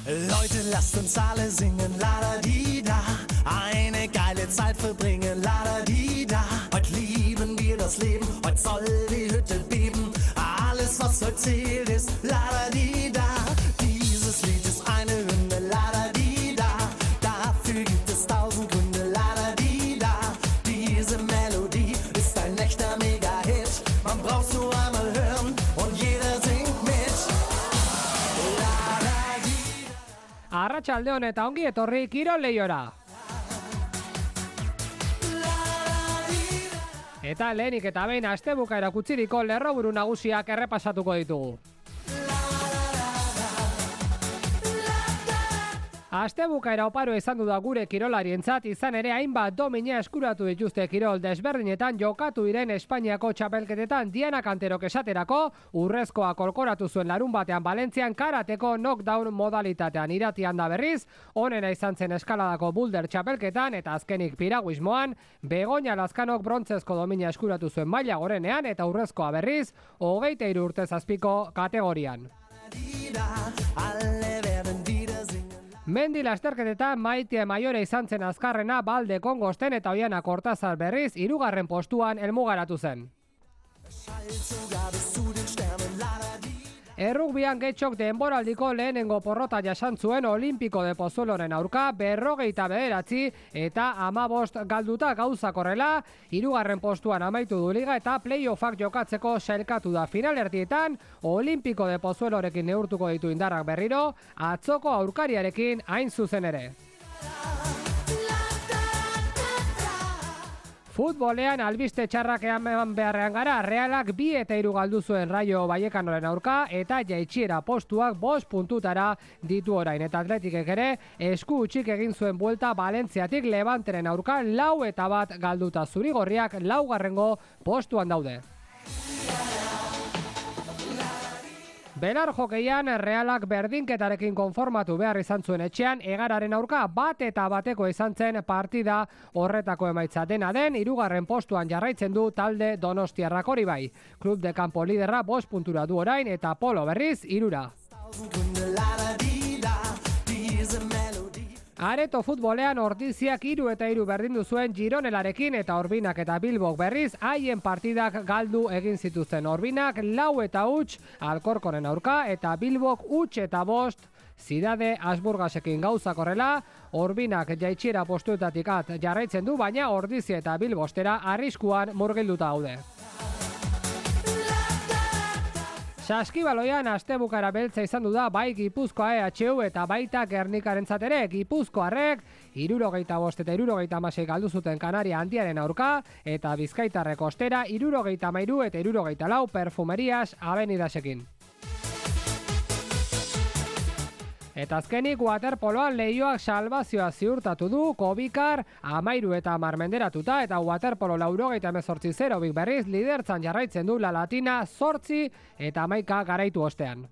Leute, lasst uns alle singen, la-da-di-da. Eine geile Zeit verbringen, la-da-di-da. Heute lieben wir das Leben, heute soll die Hütte beben. Alles, was heute zählt, ist la-da-di-da. Dieses Lied ist eine Hymne, la-da-di-da. Dafür gibt es 1000 Gründe, la-da-di-da. Diese Melodie ist ein echter Mega-Hit. Man braucht's nur einmal hören und jeder singt mit. Arratsalde on eta ongi etorri Kirol Lehiora. Eta lehenik eta behin astebukaera kutsiriko lerroburu nagusiak errepasatuko ditugu. Astebukaera oparo izan du da gure kirolarientzat, izan ere hainbat domina eskuratu dituzte kirol desberdinetan jokatu diren Espainiako txapelketetan. Diana Canterok esaterako urrezkoa kolkoratu zuen larun batean Valentzian karateko knockdown modalitatean. Iratian da berriz, onena izan zen eskaladako boulder txapelketan eta azkenik piraguismoan, Begoña Lazkanok brontzezko domina eskuratu zuen maila gorenean eta urrezkoa berriz, 23 urtez azpiko kategorian. Mendi lasterketetan Maitia Maiore izan zen azkarrena, Balde Kongosten eta Oiana Kortazar berriz 3. postuan helmugaratu zen. Errugbian Getxok denboraldiko lehenengo porrota jasan zuen Olimpiko de Pozueloren aurka 49 eta 15 galduta gauzak horrela, 3. postuan amaitu du liga eta playoffak jokatzeko sailkatu da. Finalerdietan Olimpiko de Pozuelorekin neurtuko ditu indarrak berriro, atzoko aurkariarekin hain zuzen ere. Futbolean albiste txarrak eman beharrean gara, Realak 2 eta 3 galdu zuen Rayo Vallecanoren aurka eta jaitsiera postuak 5 puntutara ditu orain. Eta Atletikek ere esku utzik egin zuen buelta Valentziatik Levanteren aurka 4 eta 1 galduta. Zurigorriak 4. postuan daude. Belar jokeian Realak berdinketarekin konformatu behar izan zuen etxean, Egararen aurka 1 eta 1 izan zen partida horretako emaitza. Dena den, 3. postuan jarraitzen du talde Donostiarrak. Hori bai. Club de Campo liderra 5 puntura du orain eta Polo berriz 3. Areto futbolean Ordiziak 3 eta 3 berdindu zuen Gironelarekin eta Orbinak eta Bilbok berriz haien partidak galdu egin zituzten. Orbinak 4 eta 0 Alkorkoren aurka eta Bilbok 0 eta 5 Zidade Asburgasekin gauzak horrela. Orbinak jaitsiera postuetatik jarraitzen du, baina Ordizia eta Bilbo ostera arriskuan murgilduta daude. Saskibaloian astebukara beltza izan du da bai Gipuzkoa EHU eta baita Gernikarentzat ere. Gipuzkoarrek 75 eta 76 galdu zuten Kanaria Handiaren aurka eta Bizkaitarrek ostera 73 eta 74 Perfumerias Avenidasekin. Eta azkenik waterpoloan Leioak salbazioa ziurtatu du, Kobikar 13 eta 10 menderatuta eta waterpolo 98-0 berriz lidertzan jarraitzen du La Latina 8 eta 11 garaitu ostean.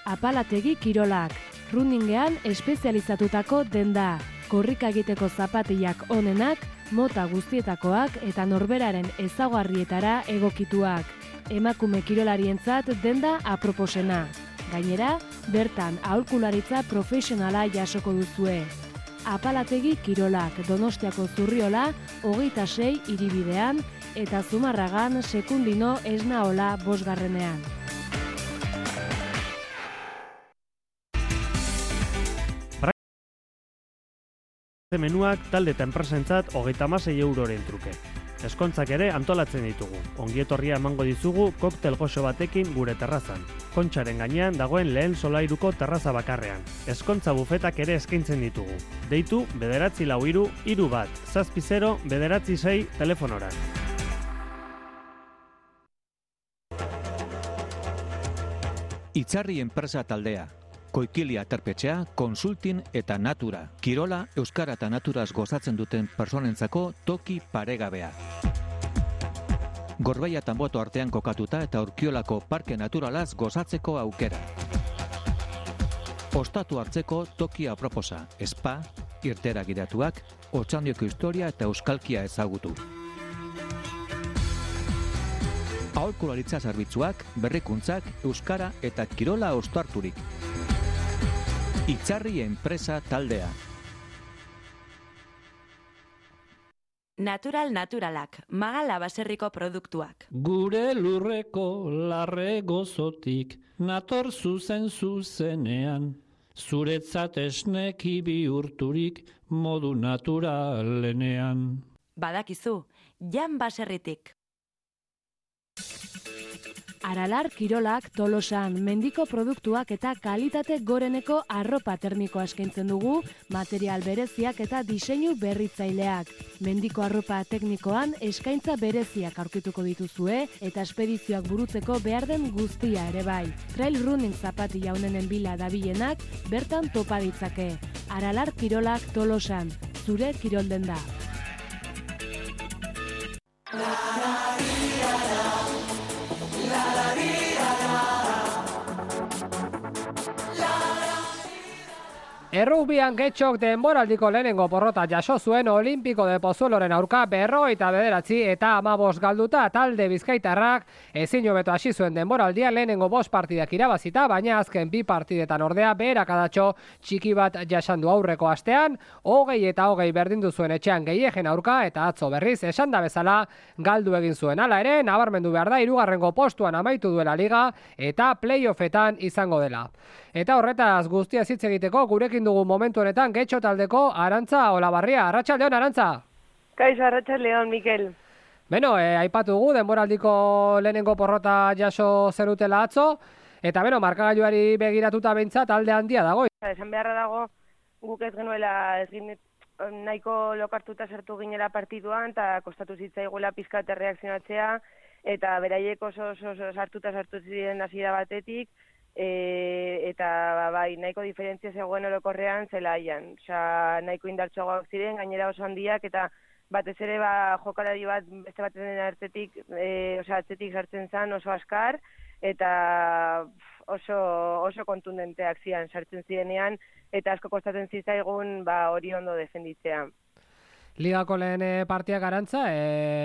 Apalategi kirolak, runningean espezializatutako denda, korrika egiteko zapatillak onenak, mota guztietakoak eta norberaren ezaugarrietara egokituak. Emakume kirolarientzat denda aproposena. Gainera, bertan aholkularitza profesionala jasoko duzue. Apalategi kirolak, Donostiako Zurriola 26 hiribidean eta Zumarragan Sekundino Esnaola 5. Menuak talde eta enpresentzat 36 euroren truke. Eskontzak ere antolatzen ditugu. Ongietorria emango dizugu koktel goxo batekin gure terrazan. Kontxaren gainean dagoen lehen solairuko terraza bakarrean. Eskontza bufetak ere eskaintzen ditugu. Deitu 943 31 70 996 telefonora. Itzarri enpresa taldea. Koikili aterpetxea, Konsultin eta Natura. Kirola, euskara eta naturaz gozatzen duten personentzako toki paregabea. Gorbeia eta Anboto artean kokatuta eta Urkiolako parke naturalaz gozatzeko aukera. Ostatu hartzeko toki aproposa, spa, irtera gidatuak, Otxandioko historia eta euskalkia ezagutu. Aholkularitza zerbitzuak, berrikuntzak, euskara eta kirola ostarturik. Itzarri enpresa taldea. Natural naturalak, Magala baserriko produktuak. Gure lurreko larre gozotik, nator zuzenean, zuretzat esneki bihurturik modu naturalenean. Badakizu, Jan baserritik. Aralar Kirolak Tolosan mendiko produktuak eta kalitate goreneko arropa termikoa eskaintzen dugu, material bereziak eta diseinu berritzaileak. Mendiko arropa teknikoan eskaintza bereziak aurkituko dituzue eta espedizioak burutzeko behar den guztia ere bai. Trail running zapatilla honenen bila dabilenak bertan topa ditzake. Aralar Kirolak Tolosan, zure kirolden da. Errugbian Getxok denboraldiko lehenengo porrota jaso zuen Olimpiko de Pozueloren aurka 59 eta 15 galduta talde bizkaitarrak ezin hobeto hasi zuen denboraldia lehenengo 5 partidak irabazita, baina azken 2 partidetan ordea beherakadatxo txiki bat jasandu aurreko astean, 20 berdindu zuen etxean Gehiegen aurka eta atzo berriz esanda bezala galdu egin zuen. Hala ere, nabarmendu behar da 3. postuan amaitu duela liga eta playoffetan izango dela. Eta horretaz guztia hitz egiteko gurekin dugu momentu honetan Getxo taldeko Arantza Olabarria. Arratsaldeon, Arantza. Kaixo, arratsaldeon, Mikel. Beno, aipatu dugu denboraldiko lehenengo porrota jaso zerutela atzo, eta markagailuari begiratuta behintzat talde handia dago. Esan beharra dago, guk ez genuela nahiko lokartuta sartu ginela partiduan, eta kostatu zitzaigula pizkat erreakzionatzea, eta beraiek oso sartu ziren hasiera batetik, eta bai, nahiko diferentzia zegoen orokorrean zelaian. Osea, nahiko indartsuagoak ziren, gainera oso handiak, eta batez ere jokalari bat beste baten atzetik sartzen zen oso askar, eta oso kontundenteak ziren sartzen zirenean, eta asko kostatzen zitzaigun hori ondo defenditzea. Ligako lehen partiak Arantza,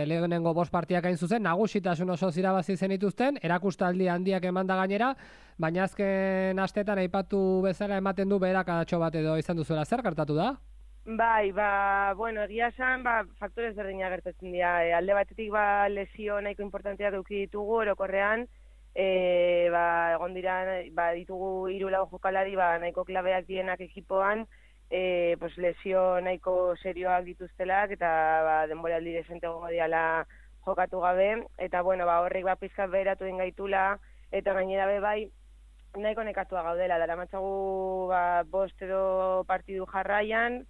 lehenengo 5 partiak hain zuzen, nagusitasun oso irabazi zenituzten, erakustaldi handiak emanda gainera, baina azken astetan aipatu bezala ematen du beherakadatxo bat edo izan duzuela. Zer gertatu da? Bai, egia esan, faktore ezberdinak gertatzen dira. Alde batetik lesio nahiko importanteak eduki ditugu orokorrean, egon dira, ditugu 3-4 jokalari nahiko klabeak dienak ekipoan, lesio nahiko serioak dituztelak eta denboraldi desente egongo diala jokatu gabe, eta horrek pizkat beheratu egin gaitula, eta gainera bai nahiko nekatua gaudela, daramatzagu 5 edo partidu jarraian,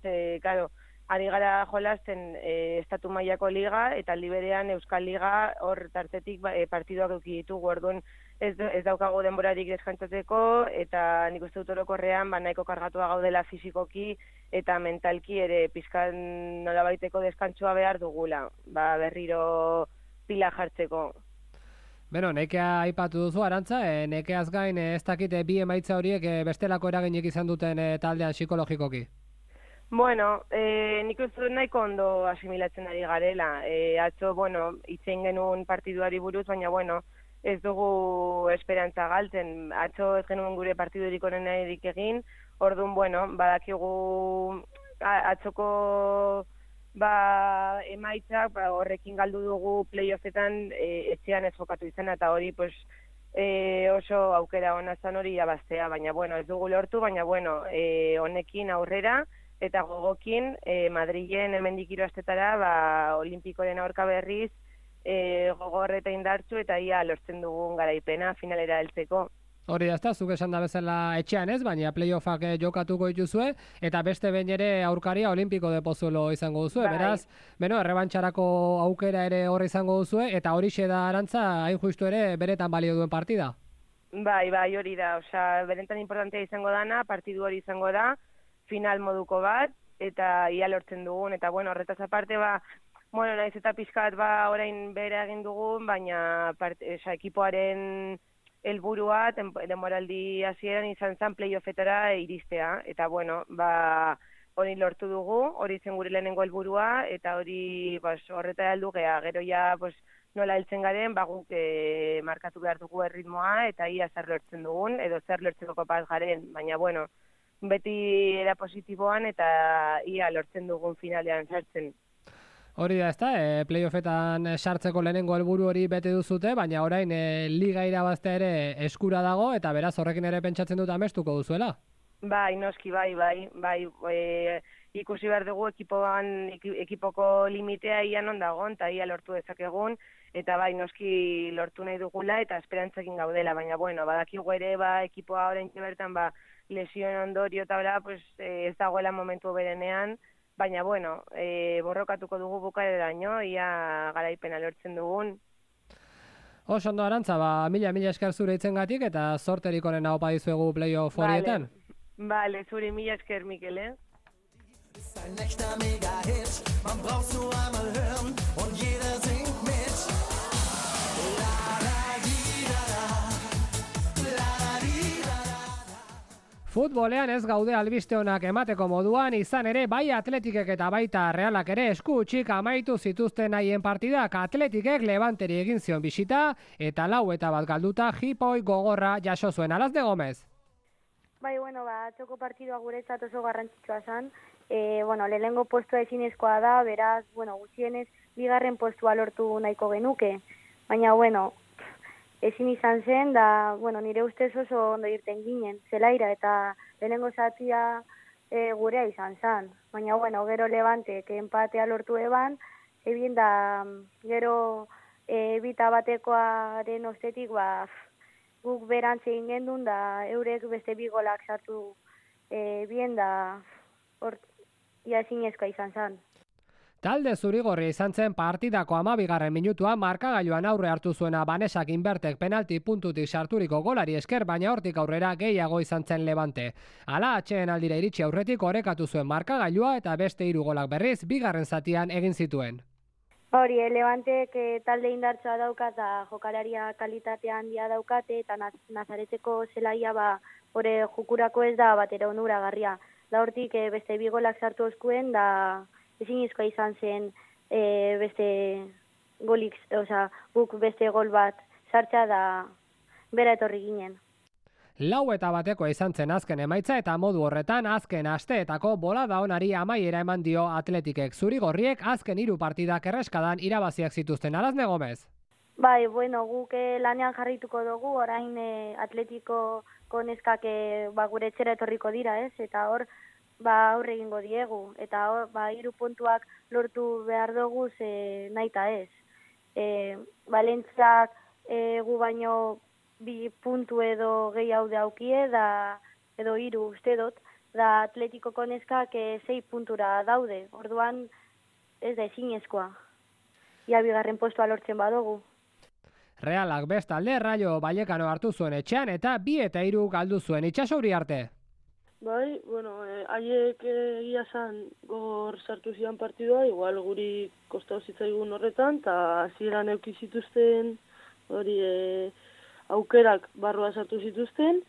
ari gara jolasten estatu mailako liga, eta aldi berean Euskal Liga hor tartetik partiduak eduki ditugu, orduan ez daukago denborarik deskantzatzeko, eta nik uste dut orokorrean nahiko kargatua gaudela fisikoki eta mentalki ere pizkan nolabaiteko deskantzua behar dugula, berriro pila jartzeko. Beno, nekea aipatu duzu, Arantza, nekeaz gain ez dakit bi emaitza horiek bestelako eraginik izan duten taldean psikologikoki. Nik uste dut nahiko ondo asimilatzen ari garela. Atzo, itzein genuen partiduari buruz, baina, ez dugu esperantza galtzen. Atzo ez genuen gure partidurik onenarik egin, orduan, badakigu atzoko emaitzak horrekin galdu dugu playoffetan etxean ez jokatu izan, eta hori oso aukera hona zan hori jabaztea, baina ez dugu lortu, baina honekin aurrera, eta gogokin Madrilen hemendik 3 astetara Olimpikoren aurka berriz gogor eta indartsu eta ia lortzen dugun garaipena finalera heltzeko. Hori da, zuk esan da bezala etxean ez, baina playoffak jokatuko dituzue, eta beste behin ere aurkaria Olimpiko de Pozuelo izango duzue, beraz, errebantxarako aukera ere horre izango duzue, eta horixe da Arantza, hain justu ere beretan balio duen partida. Bai, hori da, osea, berentan importantea izango dana, partidu hori izango da, final moduko bat, eta ia lortzen dugun, eta bueno, horretaz aparte, bueno, naiz eta pixkat orain bere egin dugun, baina ekipoaren helburua denboraldi hasieran izan zen playoffetara iristea, eta bueno, hori lortu dugu, hori zen gure lehenengo helburua, eta hori horretara heldu gea, gero ja nola heltzen garen, guk markatu behar dugu erritmoa, eta ia zer lortzen dugun, edo zer lortzeko kapaz garen, baina bueno, beti era positiboan, eta ia lortzen dugun finalean sartzen. Hori da, ezta, playoffetan sartzeko lehenengo helburu hori bete duzute, baina orain liga irabaztea ere eskura dago, eta beraz horrekin ere pentsatzen dut amestuko duzuela. Bai, noski, bai, ikusi behar dugu ekipoko limitea ia non dagoen, eta ia lortu dezakegun, eta bai, noski lortu nahi dugula, eta esperantzakin gaudela, baina bueno, badakigu ere, ekipoa orain bertan, lesioen ondorio eta ez dagoela momentu berenean, baina bueno, borrokatuko dugu bukaeraraino, ia garaipena lortzen dugun. Oso ondo, Arantza, mila esker zure itzengatik, eta sorterik onena opa dizuegu playoff horietan. Vale, zuri mila esker, Mikel, Ist ein echter Mega-Hit, man braucht's nur einmal hören und jeder singt mit. Futbolean ez gaude albiste onak emateko moduan, izan ere bai Atletikek eta baita Realak ere esku utzik amaitu zituzten haien partidak. Atletikek Levanteri egin zion bisita eta 4-1 galduta jipoi gogorra jaso zuen. Alazde Gomez. Bai, bueno, atzoko partidua guretzat oso garrantzitsua zen. Lehenengo postua ezinezkoa da, beraz, gutxienez, bigarren postua lortu nahiko genuke. Baina, ezin izan zen, da, nire ustez oso ondo irten ginen, zelaira, eta lehenengo zatia gurea izan zen. Baina, gero Levantek empatea lortu eban, ebien da, gero bita batekoaren ostetik, guk berantze egin gendun, da eurek beste bi golak sartu bien da ia ezinezkoa izan zen. Talde zurigorria izan zen partidako 12. minutuan markagailuan aurre hartu zuena Banesak Inbertek penalti puntutik sarturiko golari esker, baina hortik aurrera gehiago izan zen Levante. Hala atxeen aldira iritsi aurretik orekatu zuen markagailua eta beste 3 golak berriz bigarren zatian egin zituen. Hori, Levantek talde indartsoa daukat eta jokalaria kalitatea handia daukate eta Nazareteko zelaia hori jukurako ez da batera onuragarria. Da hortik beste 2 golak sartu oskuen da ezinezkoa izan zen beste golik, guk beste gol bat sartza da bera etorri ginen. 4-1 izan zen azken emaitza eta modu horretan azken asteetako bolada onari amaiera eman dio Atletikek. Zurigorriek azken 3 partidak erreskadan irabaziak zituzten. Alazne Gomez. Bai, guk lanean jarrituko dugu, orain Atletiko neskak gure etxera etorriko dira, ez? Eta hor, aurre egingo diegu. Eta hor, 3 puntuak lortu behar dugu nahi eta ez. Valentziak gu baino 2 puntu edo gehiago daukie, edo 3 uste dut, da Atletikoko neskak 6 puntura daude. Orduan ez da ezinezkoa. Ia bigarren postua lortzen badugu. Realak bestalde Rayo Vallecano hartu zuen etxean eta 2 eta 3 galdu zuen. Itxaso Uriarte. Bai, haiek egia zan gogor sartu zian partidua, igual guri kostau zitzaigun horretan, eta hasieran euki zituzten hori aukerak barrua sartu zituzten.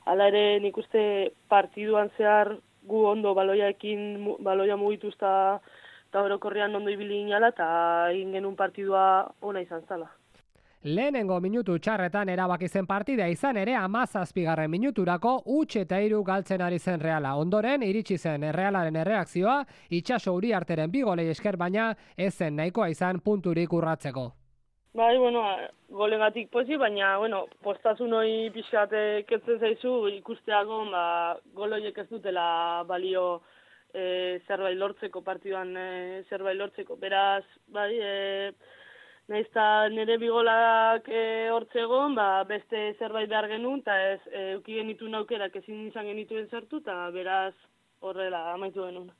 Hala ere nik uste partiduan zehar gu ondo baloia mugituzta eta orokorrean ondo ibili ginala eta egin genuen partidua ona izan zala. Lehenengo minutu txarretan erabaki zen partida izan ere 17. minuturako 3-3 galtzen ari zen Reala. Ondoren iritsi zen Realaren erreakzioa, Itxaso Uriarteren 2 golei esker, baina ez zen nahikoa izan punturik urratzeko. Bai, golengatik pozi, baina, postazun hori pixkat ketzen zaizu ikusteago, goloiek ez dutela balio zerbait lortzeko, partiduan zerbait lortzeko. Beraz, bai, nahiz eta nire 2 golak hortzegon, beste zerbait behar genuen, eta ez euki genituen aukerak ezin izan genituen sartu, eta beraz horrela amaitu genuen.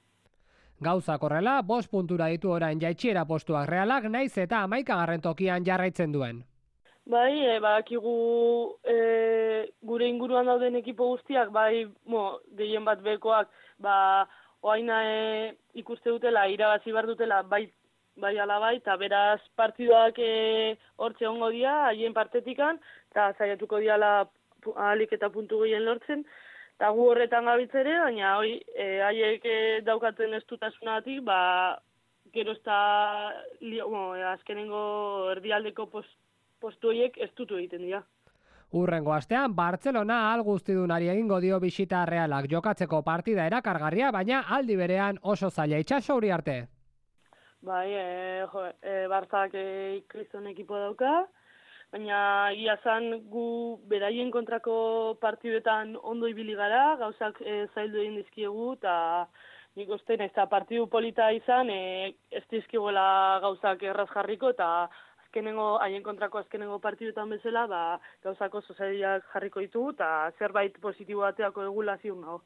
Gauzak horrela, 5 puntura ditu orain jaitsiera postuak Realak, naiz eta 11. tokian jarraitzen duen. Bai, badakigu gure inguruan dauden ekipo guztiak, bai, gehien bat bekoak, oaina ikuste dutela, irabazi behar dutela, bai ala bai, eta beraz partiduak hortze ongo dira, haien partetikan, eta zaiatuko diala ahalik eta puntu gehien lortzen, eta gu horretan gabitzere, baina haiek daukaten estutasunatik, gero ez da, azkenengo erdialdeko postu horiek ez dutu egiten dira. Hurrengo astean, Bartzelona guztidunari egingo dio bisita Realak jokatzeko partida erakargarria, baina aldi berean oso zaila. Itxaso Uriarte. Bai, Bartzak kriston ekipo dauka, baina egia zan gu beraien kontrako partiduetan ondo ibili gara, gauzak zaildu egin dizkiegu, eta nik uste nahiz eta partidu polita izan, ez dizkiguela gauzak erraz jarriko, eta haien kontrako azkenengo partiduetan bezala, gauzak oso zailak jarriko ditugu, eta zerbait positibo bateako egula ziun nago.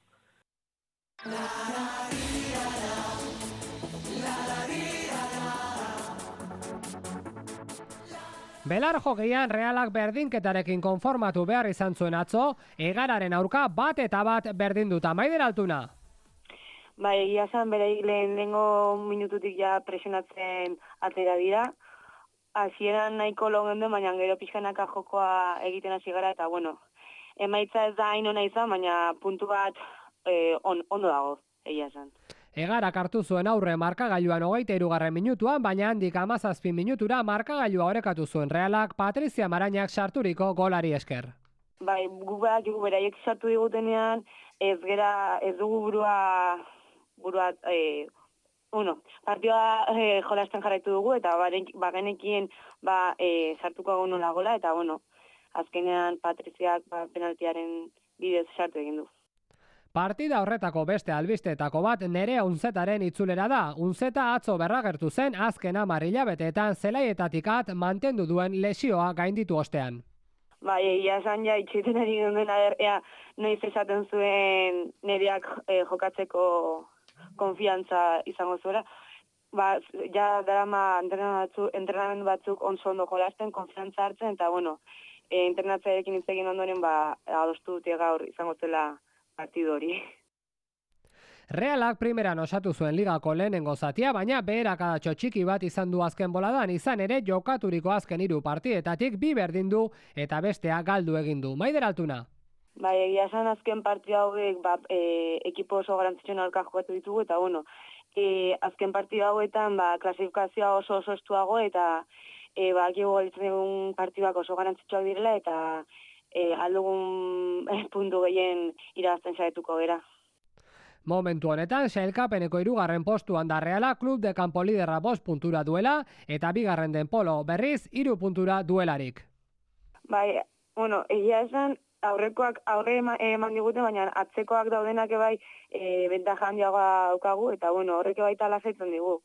Belar jokeian Realak berdinketarekin konformatu behar izan zuen atzo, Egararen aurka bat berdinduta. Maider Altuna. Bai, egia zan, bereik lehenengo minututik ja presionatzen atera dira. Hasieran nahiko longendu, baina gero pixkanaka jokoa egiten hasi gara, eta emaitza ez da hain ona izan, baina puntu bat ondo dago, egia zan. Egarak hartu zuen aurre markagailuan 23. minutuan, baina handik 17 minutura markagailua orekatu zuen Realak Patrizia Marañak sarturiko golari esker. Bai, gu beraiek sartu digutenean, ez dugu partioa jolasten jarraitu dugu, eta bagenekien sartuko agun nola gola, eta azkenean Patriziak penaltiaren bidez sartu egin du. Partida horretako beste albisteetako bat Nerea Unzetaren itzulera da. Unzeta atzo berragertu zen azken 10 hilabeteetan zelaietatikat mantendu duen lesioa gainditu ostean. Bai, egia esan ja itxiten ari duen noiz esaten zuen Nereak jokatzeko konfiantza izango zuela. Ja darama entrenamendu batzuk ondo jolasten, konfiantza hartzen, eta entrenatzarekin hitz egin ondoren adostu dute gaur izango zela partidu hori. Realak primeran osatu zuen ligako lehenengo zatia, baina beheradatxo txiki bat izan du azken boladan, izan ere jokaturiko azken 3 partidetatik 2 berdin du eta bestea galdu egin du. Maider Altuna. Bai, egia esan azken partida hauek ekipo oso garantzitsuan aurka jokatu ditugu, eta azken partida hauetan klasifikazioa oso estuago, eta bakigu galitzen egun partiduak oso garantzitsuak direla, eta aldugun puntu gehien irabazten saietuko gera. Momentu honetan, sailkapeneko 3. postuan da Reala, klub de kanpo liderra 5 puntura duela, eta 2. den Polo berriz 3 puntura duelarik. Bai, egia esan, aurrekoak aurre eman digute, baina atzekoak daudenak bentaja handiagoa daukagu, eta horrek bai talazaitzen digu.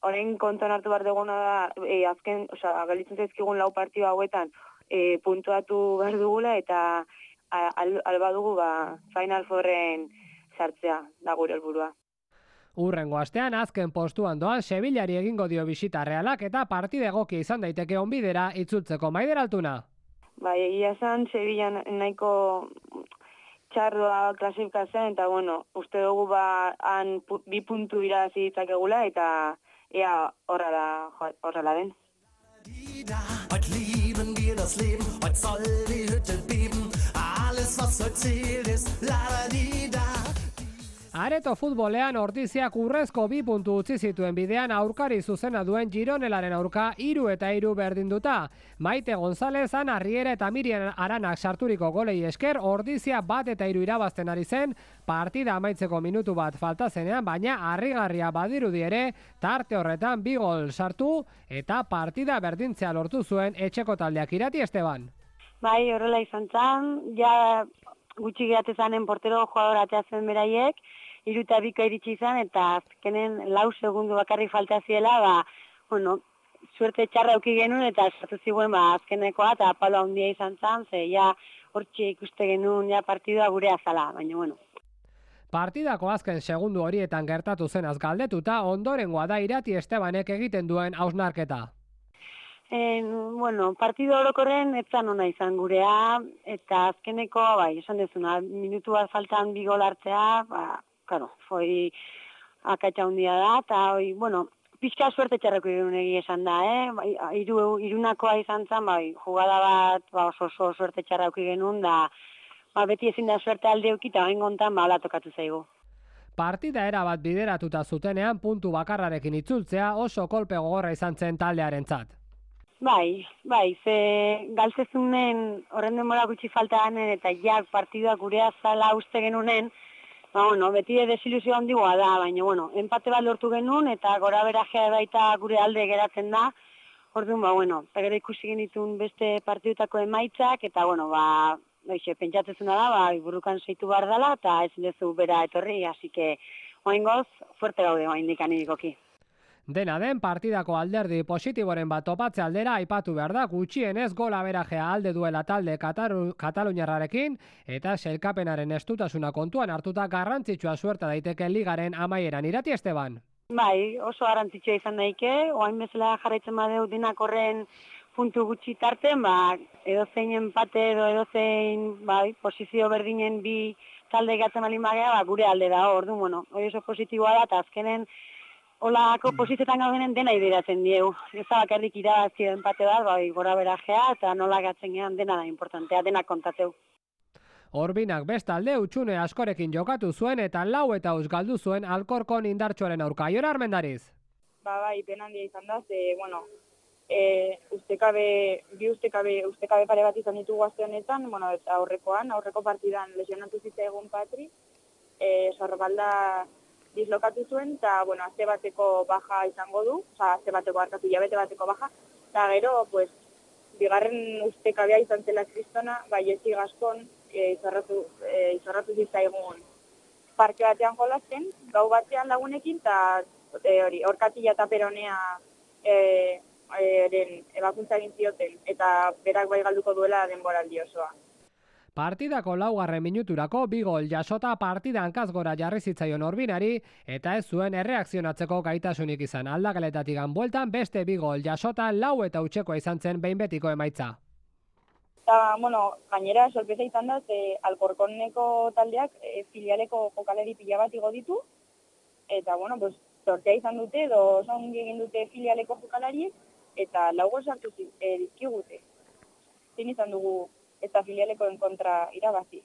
Horrein kontuan hartu behar duguna da, galitzen zaizkigun 4 partidu hauetan puntuatu behar dugula, eta alba dugu Final Fourren sartzea da gure helburua. Hurrengo astean azken postuan doan Sevillari egingo dio bisita Realak, eta partida egokia izan daiteke onbidera itzultzeko. Maider Altuna. Bai, egia esan Sevillan nahiko txardoa klasifikazioan, eta uste dugu han 2 puntu irabazi ditzakegula, eta ea horrela den. Heute lieben wir das Leben, heute soll die Hütte beben, alles was heute zählt ist la-da-di-da. Areto futbolean Ordiziak urrezko 2 puntu utzi zituen bidean aurkari zuzena duen Gironelaren aurka 3 eta 3 berdinduta. Maite González, Ana Riera eta Miriam Aranak sarturiko golei esker Ordizia 1 eta 3 irabazten ari zen, partida amaitzeko minutu bat falta zenean, baina harrigarria badirudi ere, tarte horretan 2 gol sartu eta partida berdintzea lortu zuen etxeko taldeak. Irati Esteban. Bai, horrela izan zan, ja gutxi gehatezanen portero jugador ateatzen beraiek, 3 eta 2 iritsi izan, eta azkenen 4 segundu bakarrik falta ziela, suerte txarra auki genuen, eta sartu ziguen azkenekoa, eta palo handia izan zan, ze ja hortxe ikuste genuen partidua gure azala, baina Partidako azken segundu horietan gertatu zenaz galdetuta, ondorengoa da Irati Estebanek egiten duen hausnarketa. Bueno, partido orokorren etzan ona izan gurea, eta azkeneko, bai, esan dezuna, minutu bat faltan bi gol hartzea, claro, foi akatsa hundia da, eta, bueno, pixka suerte txarreko irunegi esan da, irunakoa izan zen, bai, jugada bat, oso suerte txarreko genuen, da, beti ezin da suerte alde euki, eta bain gontan, ala tokatu zaigu. Partida erabat bideratuta zutenean puntu bakarrarekin itzultzea oso kolpe gogorra izan zen taldearentzat. Bai, ze galtzezunen horren denbora gutxi falta ganen eta jak partidua gurea zala uste genunen, beti desilusio handigoa da, baina, empate bat lortu genuen eta gora berajea baita gure alde geratzen da, orduan, gero ikusi genitun beste partidutako emaitzak, eta, pentsatzezuna da, burukan zeitu behar dela, eta ezin dezu bera etorri, así que, oaingoz, fuerte gaude, oaindikan irikoki. Dena den partidako alderdi positiboren bat topatze aldera aipatu behar da gutxienez gola berajea alde duela talde kataluniarrarekin eta sailkapenaren estutasuna kontuan hartuta garrantzitsua suerta daiteke ligaren amaieran. Irati Esteban. Bai, oso garrantzitsua izan daike, oain bezala jarraitzen badeu denak horren puntu gutxi tarten, edozein empate edo edozein posizio berdinen bi talde gatzen balin bagea, gure alde da, orduan, hori oso positiboa da, eta azkenen olako posizioetan gaudenen dena idiratzen diegu. Ez da bakarrik irabazio empate bat, gora berajea, eta nola gatzen gehan dena da importantea, dena kontateu. Orbinak bestalde utxune askorekin jokatu zuen eta 4 eta galdu zuen Alkorkon indartsuaren aurka. Jon Armendariz. Bai, pena handia izan da, ustekabe pare bat izan ditugu aste honetan, eta aurreko partidan lesionatu zitzaigun Patri, sorbalda dislokatu zuen, eta, azte bateko baja izango du, hilabete bateko baja, eta gero, bigarren ustekabea izan zela kristona, Jesi Gaskon izorratu zitzaigun parke batean jolasten, gau batean lagunekin, eta Orkatila eta Peronea ebakuntza egin zioten, eta berak bai galduko duela denboraldi osoa. Partidako 4. minuturako 2 gol jasota partida hankaz gora jarri zitzaion Orbinari eta ez zuen erreakzionatzeko gaitasunik izan. Aldageletatik bueltan beste 2 gol jasota 4 eta utxekoa izan zen behin betiko emaitza. Eta, gainera sorpresa izan da, Alkorkoneko taldeak filialeko jokaleri pila bat igo ditu, eta, sortea izan dute, edo zongi egin dute filialeko jokalariek, eta 4 gol sartu dizkigute. Zin izan dugu eta filialekoen kontra irabazi.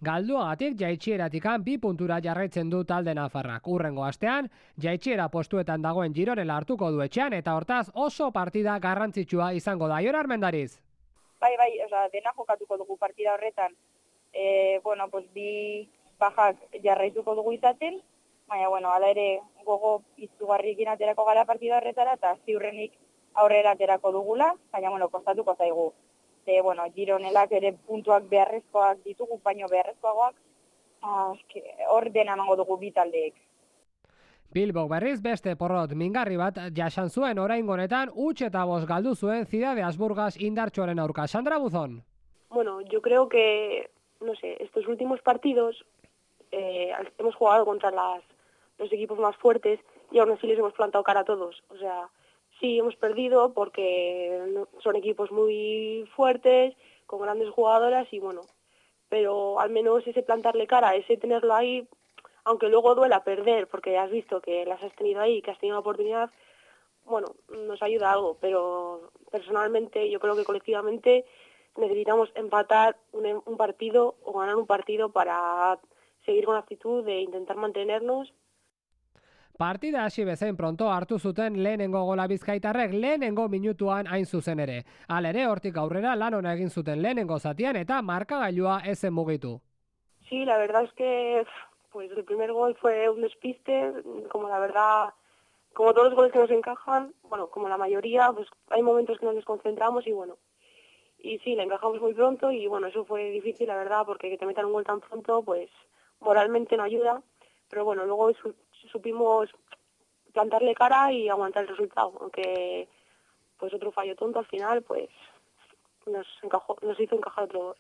Galduagatik jaitsieratikan 2 puntura jarraitzen du talde nafarrak. Hurrengo astean, jaitsiera postuetan dagoen Gironela hartuko du etxean eta hortaz oso partida garrantzitsua izango da. Jon Armendariz. Bai, dena jokatuko dugu partida horretan. Bi bajak jarraituko dugu izaten, baina, hala ere gogo izugarrikin aterako gara partida horretara eta ziurrenik aurrera aterako dugula, baina, kostatuko zaigu. Gironelak ere puntuak beharrezkoak ditugu, baino beharrezkoagoak, hor dena emango dugu bi taldeek. Bilbok berriz beste porrot mingarri bat jasan zuen oraingo honetan 8 eta 5 galdu zuen Ciudad Asburgas indartsuaren aurka. Sandra Buzón. Yo creo que, estos últimos partidos hemos jugado contra los equipos más fuertes y aún así les hemos plantado cara a todos. O sea, sí, hemos perdido porque son equipos muy fuertes, con grandes jugadoras y pero al menos ese plantarle cara, ese tenerlo ahí, aunque luego duela perder, porque has visto que las has tenido ahí, que has tenido la oportunidad, nos ayuda algo, pero personalmente yo creo que colectivamente necesitamos empatar un partido o ganar un partido para seguir con la actitud de intentar mantenernos. Partida hasi bezain pronto hartu zuten lehenengo gola bizkaitarrek lehenengo minutuan hain zuzen ere. Halere hortik aurrera lan ona egin zuten lehenengo zatian eta markagailua ezen mugitu. Sí, la verdad es que el primer gol fue un despiste, como todos los goles que nos encajan, como la mayoría, hay momentos que nos desconcentramos y sí, la encajamos muy pronto y eso fue difícil, la verdad, porque que te metan un gol tan pronto, moralmente no ayuda, pero luego supimos plantarle cara y aguantar el resultado, aunque otro fallo tonto al final nos hizo encajar otro gol.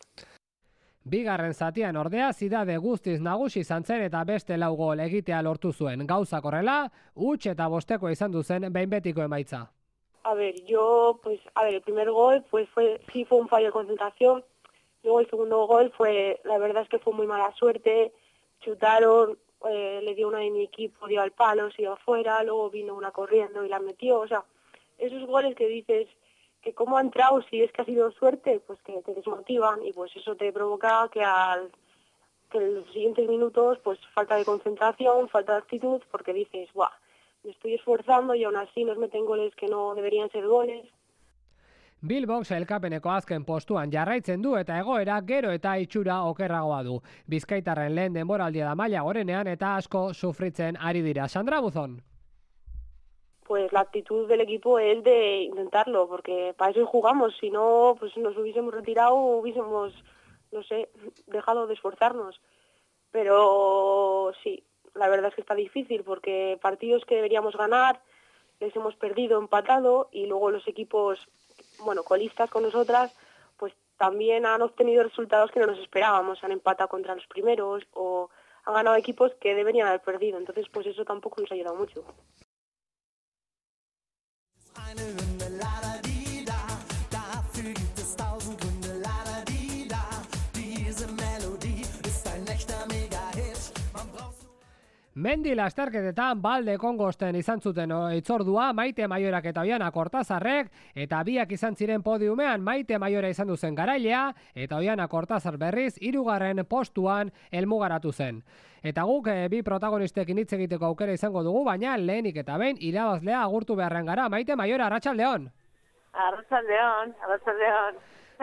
Bigarren zatian ordea Zidade guztiz nagusi izan zen eta beste 4 gol egitea lortu zuen. Gauzak horrela, 8 eta 5 izan du zen behin betiko emaitza. A ver, el primer gol pues fue un fallo de concentración. Luego el segundo gol la verdad es que fue muy mala suerte. Chutaron, le dio una de mi equipo, dio al palo, se iba afuera, luego vino una corriendo y la metió. O sea, esos goles que dices que cómo ha entrado, si es que ha sido suerte, pues que te desmotivan y pues eso te provoca que en los siguientes minutos pues falta de concentración, falta de actitud, porque dices, ¡buah! Me estoy esforzando y aún así nos meten goles que no deberían ser goles. Bilbok sailkapeneko azken postuan jarraitzen du eta egoera gero eta itxura okerragoa du. Bizkaitarren lehen denboraldia da maila gorenean eta asko sufritzen ari dira. Sandra Buzón. Pues la actitud del equipo es de intentarlo, porque para eso jugamos. Si no, pues nos hubiésemos retirado, hubiésemos, no sé, dejado de esforzarnos. Pero sí, la verdad es que está difícil, porque partidos que deberíamos ganar les hemos perdido, empatado, y luego los equipos, bueno, colistas con nosotras, pues también han obtenido resultados que no nos esperábamos. Han empatado contra los primeros o han ganado equipos que deberían haber perdido. Entonces, pues eso tampoco nos ha ayudado mucho. Eine Hymne, la-da-di-da, dafür gibt es 1000 Gründe, la-da-di-da. Diese Melodie ist ein echter Mega-Hit. Man braucht Mendi lasterketetan balde kongosten izan zuten itzordua Maite Maiorak eta Oiana Kortazarrek, eta biak izan ziren podiumean Maite Maiora izan duzen garailea, eta Oiana Kortazar berriz 3. postuan helmugaratu zen. Eta guk bi protagonistekin hitz egiteko aukera izango dugu, baina lehenik eta behin irabazlea agurtu beharren gara. Maite Maiora, arratsaldeon. Arratsaldeon.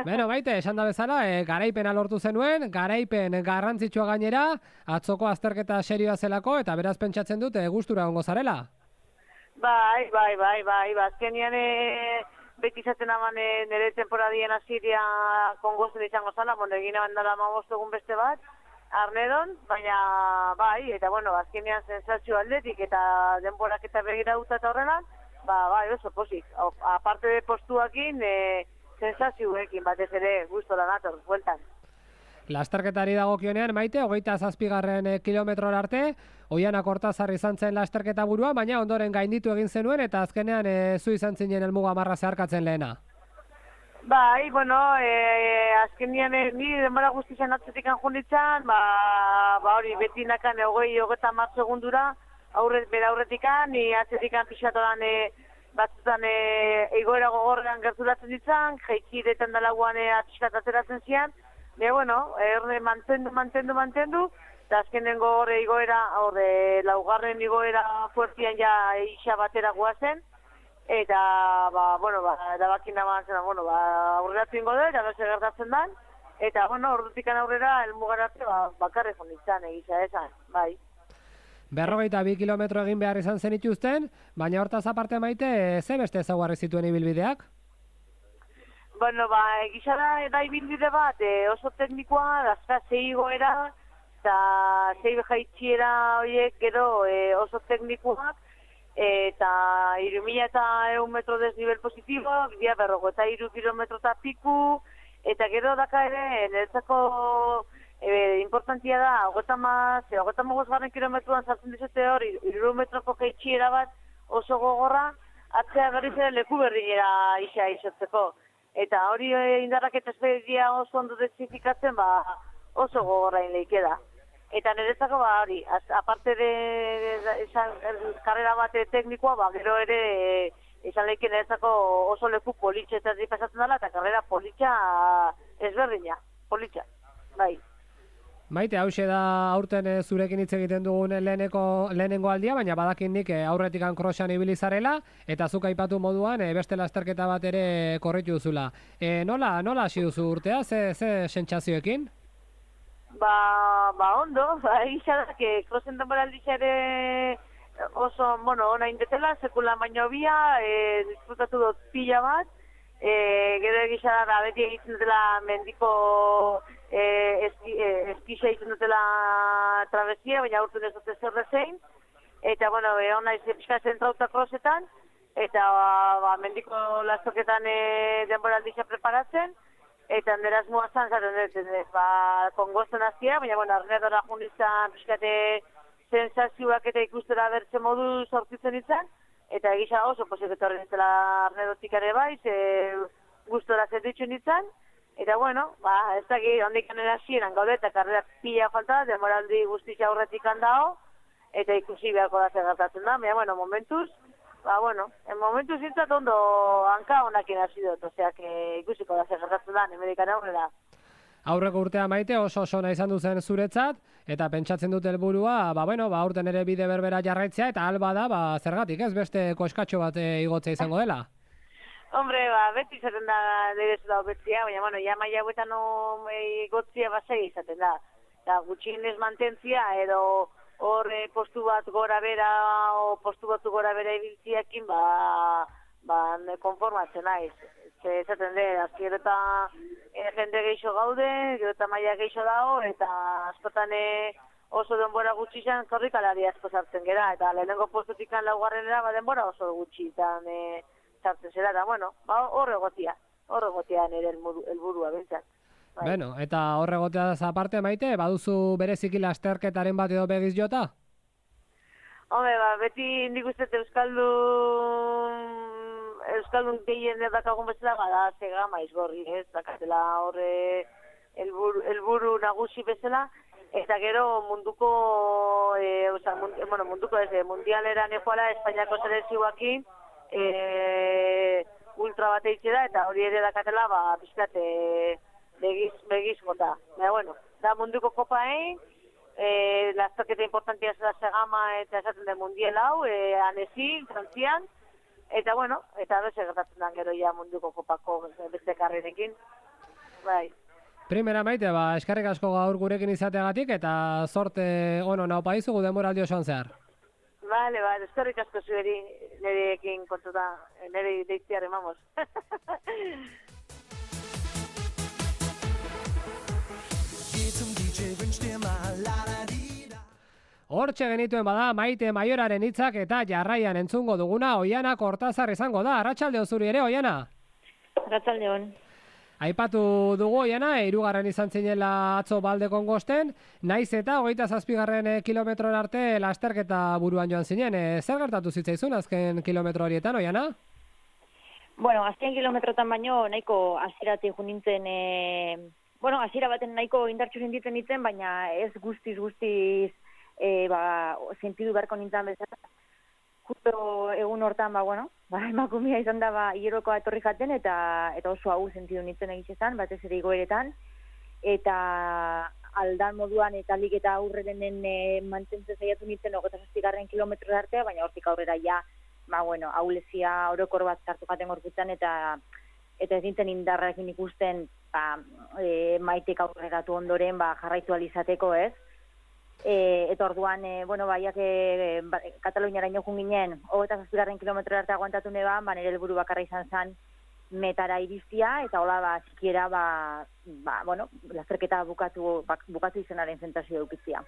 Beno, Maite, esan da bezala, garaipena lortu zenuen, garaipen garrantzitsua gainera, atzoko azterketa serioa zelako, eta beraz pentsatzen dut gustura egongo zarela. Bai, azkenian beti izaten aman nire temporadien hasiria kongozen izango zala, egin abandala 15 egun beste bat, Arnedon, baina bai, eta bueno, azkenean sensazio aldetik eta denborak eta begira uta eta horrela, bai, oso pozik. Aparte de postuakin, sensazioekin batez ere gustora nator, bueltan. Lasterketari dagokionean, Maite, 27. kilometrora arte, Oiana Kortazar izan zen lasterketa burua, baina ondoren gainditu egin zenuen, eta azkenean zu izan zinen helmuga marra zeharkatzen lehena. Bai, bueno, azkenean ni denbora guztizan atzetik anjunitzen, hori beti nakan 20-30 segundura, bera aurretikan, ni atzetik pixatodan batzutan egoera gogorrean gerturatzen ditzan, jeikiretan dalaguan atxiskat ateratzen zian, bueno, mantendu, eta azkenengo horre igoera, laugarren igoera fuertian ja isa batera guazen, eta, erabakin naman zen, aurreratu ingo da, eta bese gertatzen dan, eta, ordutikan aurrera, elmugararte, bakarri jonditzen egisa esan, bai. 42 kilometro egin behar izan zenituzten, baina hortaz aparte, Maite, ze beste ezaugarri zituen ibilbideak? Bueno, egisa da ibilbide bat, oso teknikoa, dazka 6 igoera, eta 6 jaitxiera horiek gero oso teknikoak, eta 3.100 metro desnivel positibo, bidea berrogo, eta 3 kilometro eta piku, eta gero daka ere, niretzako importantia da, 55 kilometruan sartzen dizute hor, 3 metroko jaitxiera bat oso gogorra, atzea berriz ere leku berriera isa izotzeko. Eta hori indarrak eta espeditia oso ondo dezifikatzen, oso gogorra inleike da. Eta niretzako hori, aparte de karrera bat teknikoa, gero ere izan leike niretzako oso leku politxe eta pasatzen dela, eta karrera politxa ezberdina, politxa, bai. Maite, hause da aurten zurekin hitz egiten dugun lehenengo aldia, baina badakin nik aurretikan krosan ibili zarela, eta zuk aipatu moduan beste lasterketa bat ere korritu duzula. Nola hasi duzu urtea, ze sentsazioekin? Ondo, egisa da, krosen denboraldia ere oso, ona indetela, sekula baino bia, disfrutatu dut pila bat, gero egisa da, beti egiten dela mendiko eskixa egiten dutela trabesia, baina urtun ez dute zer dezein, eta, hona pixka zentrauta krosetan, eta mendiko lastoketan denboraldia preparatzen, eta neraz muazan zaten dut, kongosten azia, baina, arnedora jundizan pixkate sensazioak eta ikustera bertze modu sortitzen izan, eta egisa oso posik etorri nintzela arnerotik ere bai, gustora zertitxu nintzen, eta bueno, ez daki ondik anera hasieran gaude, eta karrera pila falta, demoraldi guztia aurretik handao, eta ikusi beharko da zer gertatzen da, baina bueno, momentuz, en momentuz zintzat ondo hanka honakin hasi dut, oseak ikusiko da zer gertatzen da, Amerikan aurrera. Aurreko urtea Maite oso ona izan duzen zuretzat, eta pentsatzen dut helburua, aurten ere bide berbera jarraitzea, eta alba da, zergatik ez beste koskatxo bat igotzea izango dela. Hombre, beti izaten da derezu da betzia, baina, ja maia huetan igotzia basei izaten da. Eta gutxienez mantentzia, edo hor postu bat gora bera, o postu batu gora bera ibiltziakin, konformatzen naiz. Ezaten dut, gero eta jende geixo gaude, gero eta maia geixo dago, eta askotan oso denbora gutxi izan korrikalari asko sartzen gera, eta lehenengo postutik laugarrenera denbora oso gutxi izan sartzen zera, eta horre gotia nire helburua bintzat. Bueno, eta horre gotea aparte Maite, baduzu bereziki lasterketaren bat edo begiz jota? Hombre, beti nik uste Euskaldun gehien dakagun bezala, da Zegama izgorri, ez, dakatela horre helburu nagusi bezala, eta gero mundialera nekoala Espainiako selekzioakin ultra bat eitxe da, eta hori ere dakatela, pizkat begiz gota. Da munduko kopaein, lasterketa importantia zela Zegama eta esaten den mundial hau, Anezin, Frantzian, eta eta beste gertatzen da gero ja munduko kopako beste karrerekin. Bai. Primera Maite, eskerrik asko gaur gurekin izateagatik eta zorte ona opa izugu denboraldi osoan zehar. Vale, eskerrik asko zueri nirekin kontuta, nire deitziarren, vamos. Hortxe genituen bada Maite Maioraren hitzak eta jarraian entzungo duguna Oiana Kortazar izango da. Arratsaldeon zuri ere, Oiana? Arratsaldeon. Aipatu dugu Oiana, 3. izan zinela atzo Baldekon Gosten, naiz eta 27. kilometrora arte lasterketa buruan joan zinen. Zer gertatu zitzaizun azken kilometro horietan, Oiana? Azken kilometrotan baino nahiko hasieratik jo nintzen, hasiera baten nahiko indartsu sentitzen nintzen, baina ez guztiz sentidu beharko nintzen bezala. Justo egun hortan, emakumea izan da hierokoa etorri jaten, eta oso hau sentidu nintzen egitxezan, batez ere igoeretan, eta aldan moduan eta lik eta aurreren mantentzen zaiatu nintzen 27. kilometro artea, baina hortik aurrera ja, ahulezia orokor bat sartu jaten gorputzen, eta ez nintzen indarrekin ikusten Maitek aurreratu ondoren jarraitu alizateko, ez? Eta orduan, baiak Kataluniara inokun ginen, 27. kilometro arte aguantatu neban, nire helburu bakarra izan zen metara iriztia, eta hola, sikiera, lasterketa bukatu izanaren zentazio dukitzia.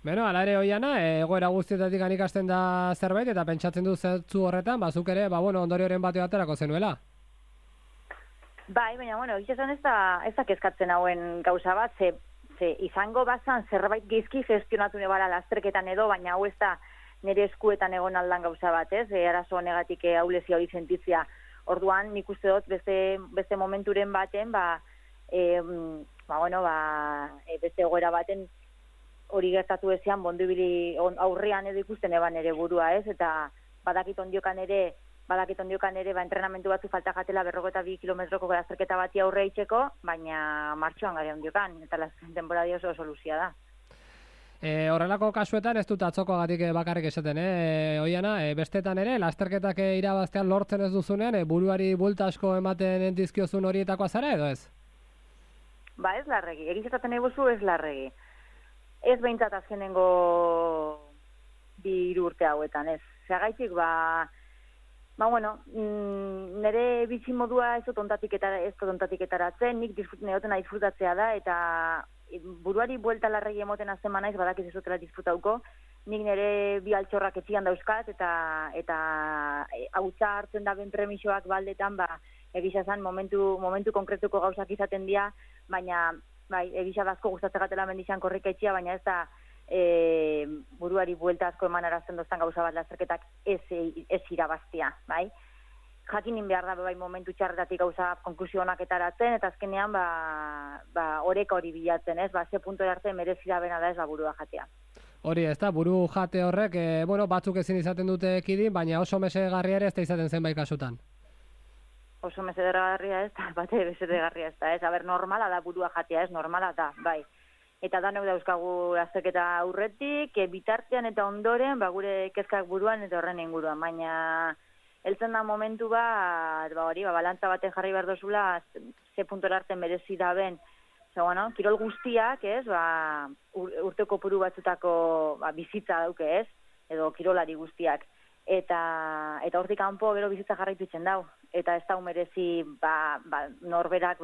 Beno, ala ere Oiana, egoera guztietatik ikasten da zerbait, eta pentsatzen du zertzu horretan, zuk ere, ondorioren bateo aterako zenuela. Bai, baina, egitezan ez da kezkatzen hauen gauza bat, ze izango bazan zerbait geizki gestionatu nebala lasterketan edo, baina hau ez da nire eskuetan egon aldan gauza bat, ez? Arazo honegatik ahulezia hori sentitzia. Orduan, nik uste dut beste momenturen baten, beste egoera baten hori gertatu ezean, bondubili aurrean edo ikusten eban ere burua, ez? Eta badakit ondiokan ere, entrenamentu batzu falta jatela 42 kilometroko lasterketa bati aurre itxeko, baina martxoan gare ondiokan, eta denbora oso soluzia da. Horrelako kasuetan ez dut atzokoagatik bakarrik esaten, Oiana, bestetan ere, lasterketak irabaztean lortzen ez duzunean, buruari bulta asko ematen dizkiozun horietakoa zara edo ez? Ez larregi, egizaten eguzu ez larregi. Ez behintzat azkenengo 2 urte hauetan, ez. Zagaitik, nire bitxi modua ez tontatik etaratzen, nik neotena disfrutatzea da, eta buruari buelta larregi emoten azten manaiz, badakiz ez dutela disfrutauko, nik nire bi altxorrak etxian dauzkat, eta hautza hartzen da ben premisoak baldetan, egizazan momentu konkretuko gauzak izaten dira, baina egizaz asko gustatzen gatela mendizan korrika etxia, baina ez da buruari buelta asko eman arazten doztan gauza bat lasterketak ez irabaztia, bai? Jakinin behar da bai momentu txarretatik gauza konklusio honak etaratzen, eta azkenean oreka hori bilatzen, ez? Ze puntu arte merezira bena da ez burua jatea. Hori ez da, buru jate horrek, batzuk ezin izaten dute ekidin, baina oso mesedegarria ere ez da izaten zenbait kasutan. Oso mesedegarria ez da, bate mesedegarria ez da, ez? Aber, normala da burua jatea, ez? Normala da, bai. Eta danok dauzkagu azterketa aurretik, bitartean eta ondoren, gure kezkak buruan eta horren inguruan, baina heltzen da momentu balantza baten jarri behar dozula, ze puntora arte merezi da ben, kirol guztiak, ez, urteko kopuru batzutako bizitza dauke, ez, edo kirolari guztiak. Eta hortik kanpo gero bizitza jarraitu itzen dau. Eta ez dau merezi norberak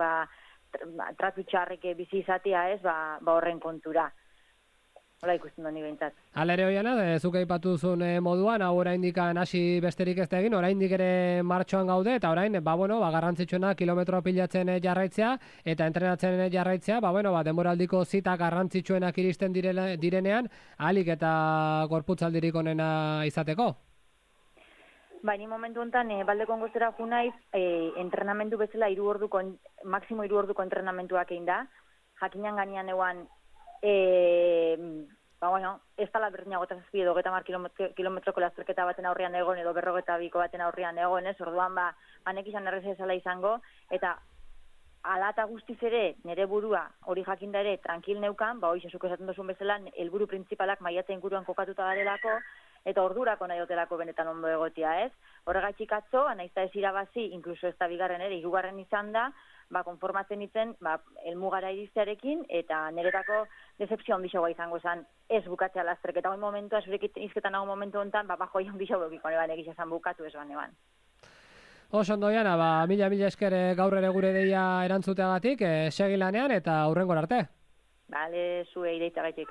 tratu txarrek bizi izatea, ez, horren kontura. Hola ikusten doni behintzat. Alere hoiana, zuk aipatu zuen moduan, hau oraindik hasi besterik ez da egin, oraindik ere martxoan gaude, eta orain, garrantzitsuena kilometro pilatzen jarraitzea, eta entrenatzen jarraitzea, denboraldiko zita garrantzitsuenak iristen direnean, ahalik eta gorputzaldirik onena izateko. Ni momentu honetan, baldeko gozera junaiz, entrenamendu bezala maksimo 3 orduko entrenamentuak egin da, jakinan ganean eguan, ez tala berdinago eta zazpi edo 30 kilometroko lasterketa baten aurrean egon edo 52ko baten aurrean egon, ez, orduan nek izan errez ezala izango, eta ala eta guztiz ere, nire burua hori jakinda ere tranquil neukan, hoiz esaten duzun bezala, helburu printzipalak maiatza inguruan kokatuta garelako, eta ordurako nahi dotelako benetan ondo egotia, ez? Horregatik atzo, naizta ez irabazi, inkluso ez da bigarren ere, 3. izan da, konformatzen itzen, helmugara iristearekin, eta niretako decepzio handiagoa izango zen, ez bukatzea lasterketa hori momentua, zurekin izketan hau momentu honetan, joi handiago egiko neban egisa zen bukatu ez baneban. Oso ondo, Jana, mila esker gaur ere gure deia erantzuteagatik, segi lanean eta hurrengora arte. Bale, zue ireitagaitik.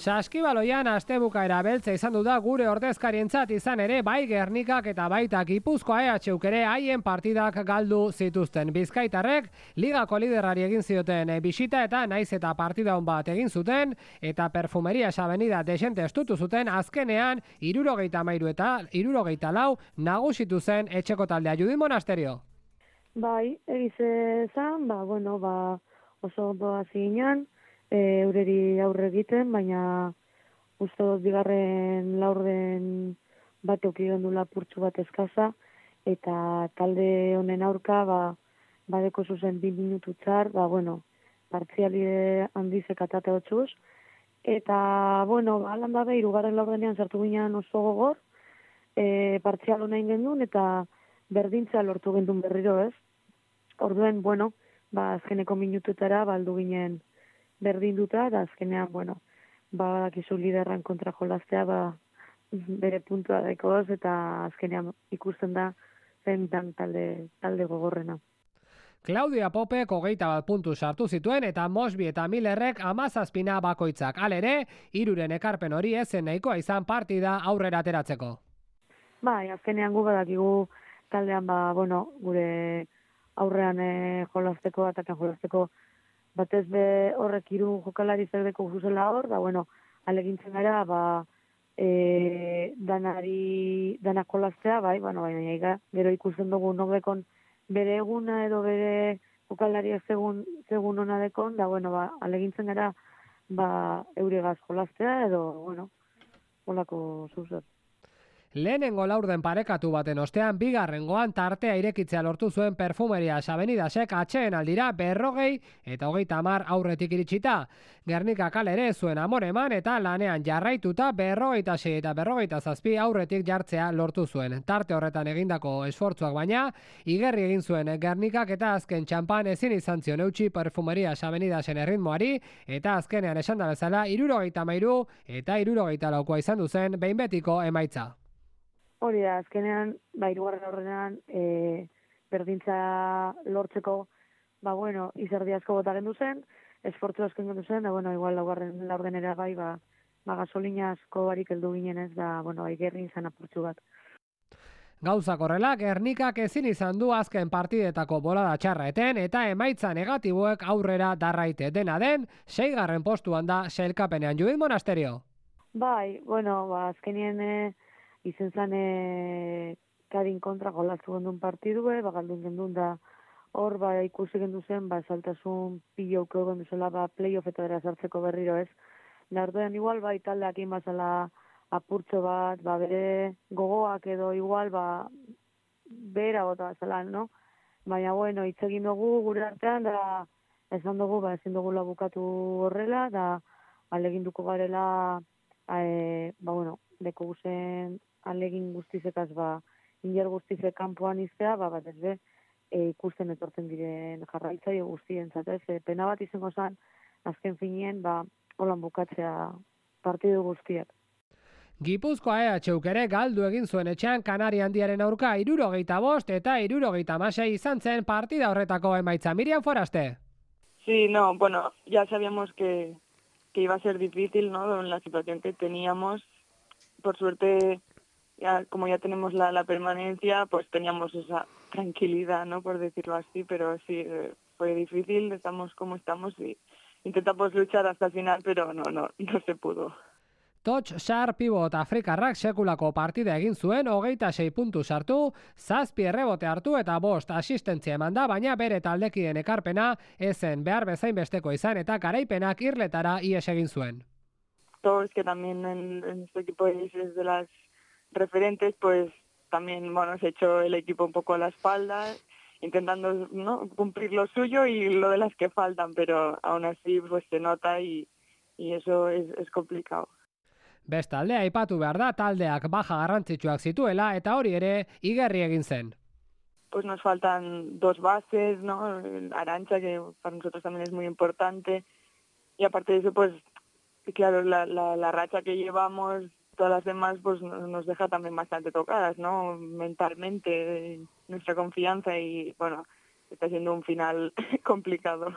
Saskibaloian astebukaera beltza izan du da gure ordezkarientzat, izan ere bai Gernikak eta baita Gipuzkoa EHUk ere haien partidak galdu zituzten. Bizkaitarrek ligako liderrari egin zioten bisita eta naiz eta partida on bat egin zuten eta Perfumerias Avenida desente estutu zuten, azkenean 73 eta 74 nagusitu zen etxeko taldea. Judin Monasterio. Bai, egize zan, oso ondo hasi ginen, eureri aurre egiten, baina uste dut bigarren laurden bat eukigen du lapurtzu bat eskaza, eta talde honen aurka, badeko zuzen 2 minutu txar, partziali handizek atate hotxuz, eta, alan dabe, 3. laurdenean sartu ginen oso gogor, partzial honein gendun, eta berdintza lortu gendun berriro, ez? Orduen, azkeneko minututara baldu ginen berdinduta, eta azkenean, badakizu liderran kontra jolaztea, bere puntua daikoz, eta azkenean ikusten da zen talde gogorrena. Claudia Popek 21 puntu sartu zituen eta Mosby eta Millerrek 17 bakoitzak. Halere, 3 ekarpen hori ezen nahikoa izan partida aurrera ateratzeko. Azkenean gu badakigu taldean, gure aurrean jolazteko, atakan jolazteko, batez be horrek 3 jokalari zerdeko zuzela hor, alegintzen gara, danak jolaztea, baina gero ikusten dugu nobekon bere eguna edo bere jokalariak segun ona dekon, alegintzen gara, euregaz jolaztea edo, holako zuzer. Lehenengo laurden parekatu baten ostean, bigarrengoan tartea irekitzea lortu zuen Perfumerias Avenidasek atxeen aldira 40 eta 30 aurretik iritsita. Gernika kalere zuen amoreman eta lanean jarraituta 46 eta 47 aurretik jartzea lortu zuen. Tarte horretan egindako esfortzuak baina, igerri egin zuen Gernikak eta azken txampan ezin izan zion eutxi Perfumerias Avenidasen erritmoari eta azkenean esan da bezala 73 eta 74 izan duzen behin betiko emaitza. Hori da, azkenean, 3. aurrenean, berdintza lortzeko, izerdi asko bota gendu zen, esfortzu asko gendu zen, igual 4. laurdenera bai, gasolina asko barik heldu ginen ez da, igerri izan apurtxu bat. Gauzak horrela, Gernikak ezin izan du azken partidetako bolada txarra eten eta emaitza negatiboek aurrera darraite dena den, 6. postuan da sailkapenean. Judit Monasterio. Bai, azkenien izen zan Kadin kontra golaztu gendun partidue, galdun gendun da hor ikusi gendu zen, saltasun pilauko gendu zela playoffetara sartzeko berriro ez. Nardoen igual taldeak inbazala apurtxo bat, bere gogoak edo igual, bera gota zela, no? Baina, hitz egin dugu gure artean, da esan dugu, ezin dugula bukatu horrela, da aleginduko garela, deko guzen alegin guztizekaz, inger guztizek kanpoan iztea, bat ez be, ikusten etortzen diren jarraitzaio guztien, zatez, pena bat izango zen, azken finien, holan bukatzea partidu guztiak. Gipuzkoa EHuk ere galdu egin zuen etxean Kanari Handiaren aurka 75 eta 76 izan zen partida horretako emaitza. Miriam Foraste. Sí, no, ya sabíamos que iba a ser difícil, ¿no? En la situación que teníamos. Por suerte, como ya tenemos la permanencia, pues teníamos esa tranquilidad, ¿no? Por decirlo así, pero sí, fue difícil, estamos como estamos y intentamos luchar hasta el final, pero no se pudo. Toch Sar pivot Afrikarrak sekulako partida egin zuen, 26 puntu sartu, 7 errebote hartu eta 5 asistentzia eman da, baina bere taldekideen ekarpena ezen behar bezain besteko izan eta garaipenak irletara ihes egin zuen. Todo es que también en este equipo es de las referentes, pues también, se echó el equipo un poco a la espalda, intentando, ¿no?, cumplir lo suyo y lo de las que faltan, pero aún así pues se nota y eso es complicado. Bestalde, aipatu behar da taldeak baja garrantzitsuak zituela eta hori ere igerri egin zen. Pues nos faltan 2 bases, ¿no? Arantxa, que para nosotros también es muy importante, y aparte de eso, pues claro, la racha que llevamos, todas las demás, pues nos deja también bastante tocadas, ¿no? Mentalmente, nuestra confianza y, está siendo un final complicado.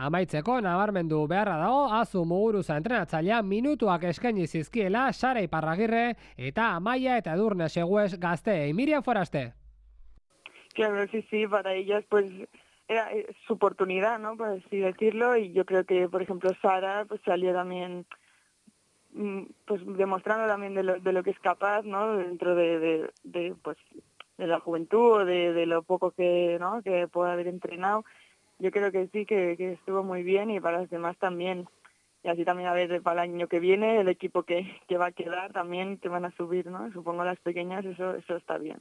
Amaitzeko nabarmendu beharra dago Azu Muguruza entrenatzailea minutuak eskaini zizkiela Sara Iparragirre eta Amaia eta Edurne Seguez gazteei. Miriam Foraste. Claro, sí, para ellas pues era su oportunidad, ¿no? Por así decirlo, y yo creo que, por ejemplo, Sara pues salió también pues demostrando también de lo que es capaz, ¿no? Dentro de la juventud o de lo poco que puede haber entrenado. Yo creo que sí, que estuvo muy bien y para los demás también. Y así también a ver para el año que viene, el equipo que va a quedar también te van a subir, ¿no? Supongo las pequeñas, eso está bien.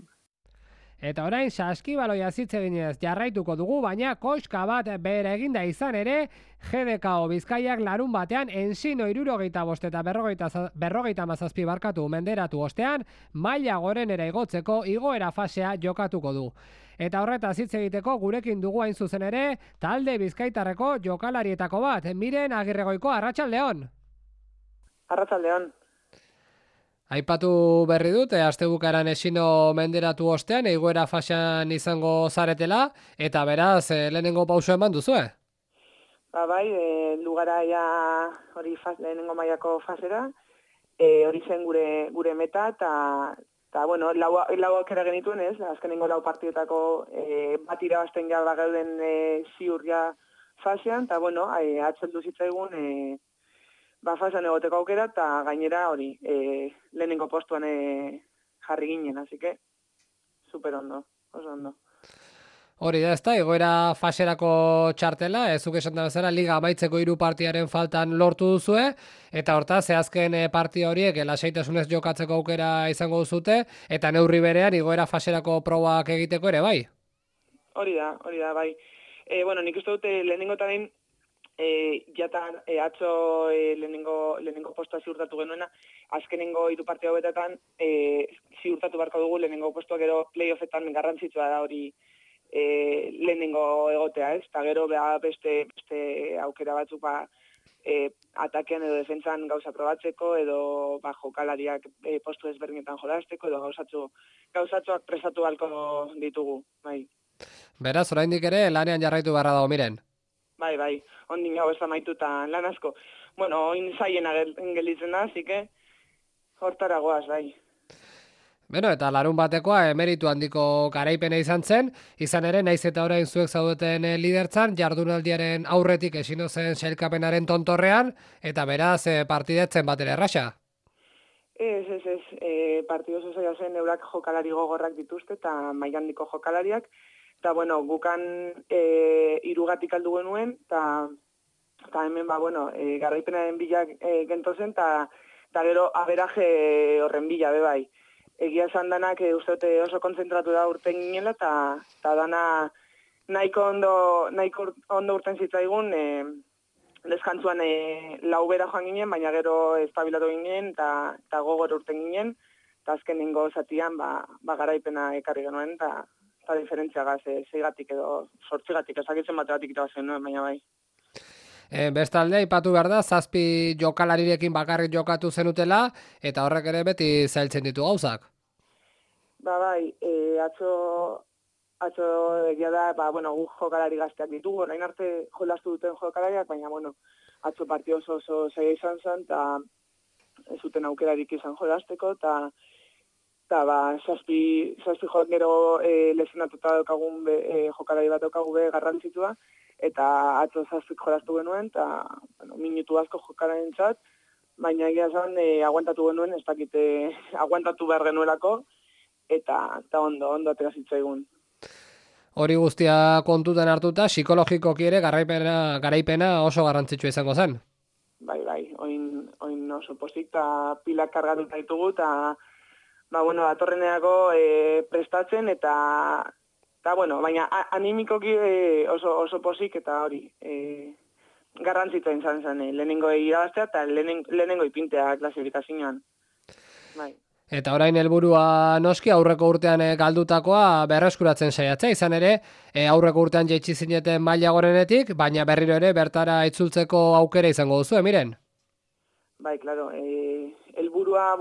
Eta orain saskibaloia hitz eginez jarraituko dugu, baina koska bat bere eginda izan ere, GDKO Bizkaiak larun batean Ensino 75 eta 57 barkatu menderatu ostean, maila gorenera igotzeko igoera fasea jokatuko du. Eta horretaz hitz egiteko gurekin dugu hain zuzen ere, talde bizkaitarreko jokalarietako bat, Miren Agirregoiko, Arratsaldeon. Arratsaldeon. Aipatu berri dut, astebukaeran Ensino menderatu ostean, igoera fasean izango zaretela, eta beraz, lehenengo pauso eman duzue? Bai, lugara ja hori lehenengo mailako fasera, hori zen gure meta, eta bueno, lau aukera genituen ez, azkenengo 4 partidetako bat irabazten ja gauden ziur ja fasean, eta bueno, atzeldu zitzaigun fasean egoteko aukera, eta gainera hori lehenengo postuan jarri ginen, así que super ondo, oso ondo. Hori da, ezta, egoera faserako txartela, ezuk esan da bezala, liga amaitzeko 3 partiaren faltan lortu duzue, eta hortaz, azken partida horiek lasaitasunez jokatzeko aukera izango duzute, eta neurri berean egoera faserako probak egiteko ere, bai? Hori da, bai. Bueno, nik uste dute lehenengo eta behin, jatan atzo lehenengo postua ziurtatu genuena, azkenengo 3 partida hauetan ziurtatu barko dugu lehenengo postua, gero playoffetan garrantzitsua da hori lehenengo egotea, ez? Eta gero beste aukera batzuk atakean edo defentsan gauza probatzeko, edo jokalariak postu ezberdinetan jolasteko, edo gauzatxoak presatu balko ditugu, bai. Beraz, oraindik ere lanean jarraitu beharra dago, Miren. Bai, ondin hau ez amaitu eta lan asko. bueno, oin zaiena gelditzen da, zike, hortara goaz, bai. Beno, eta larun batekoa emeritu handiko garaipena izan zen, izan ere, naiz eta orain zuek zaudeten lidertzan, jardunaldiaren aurretik esino zen sailkapenaren tontorrean, eta beraz partidetzen batera erraxa. Ez, partidu zozaia zen eurak jokalari gogorrak dituzte eta maigandiko jokalariak. Eta, bueno, gukan irugatik aldu genuen, eta hemen, garraipenaren bilak gentozen, eta gero aberaje horren bila, bai. Egia esan danak uste oso kontzentratu da urten ginela, eta dana nahiko ondo urten zitzaigun, deskantzuan laubera joan ginen, baina gero estabilatu ginen eta gogor urten ginen, eta azkenengo zatian garaipena ekarri genuen, eta diferentziagaz, 6gatik edo 8gatik, ezakitzen bategatik itabazen nuen, baina bai. Bestalde, aipatu behar da, 7 jokalarirekin bakarrik jokatu zenutela, eta horrek ere beti zailtzen ditu gauzak. Bai, atzo egia da, guk jokalari gazteak ditugu, orain arte jolastu duten jokalariak, baina, atzo partio oso zaila izan zen, eta ez zuten aukerarik izan jolasteko, eta 7 joan gero lesionatuta daukagun jokalari bat daukagu garrantzitua, eta atzo 7 jolastu genuen, eta minutu asko jokalaren txat, baina egia zen aguantatu genuen, ez dakite aguantatu behar genuelako, eta ondo atera zitzaigun. Hori guztia kontutan hartuta, psikologikoki ere garaipena oso garrantzitsua izango zen. Bai, oin oso pozik eta pilak kargatuta ditugu, eta datorreneako prestatzen, eta baina animikoki oso pozik, eta hori, garrantzitsua izan zen, lehenengo irabaztea eta lehenengo ipintea klasifikazioan. Bai. Eta orain helburua noski aurreko urtean galdutakoa berreskuratzen saiatzea, izan ere aurreko urtean jaitsi zineten maila gorenetik, baina berriro ere bertara itzultzeko aukera izango duzu, Miren? Bai, claro, helburua,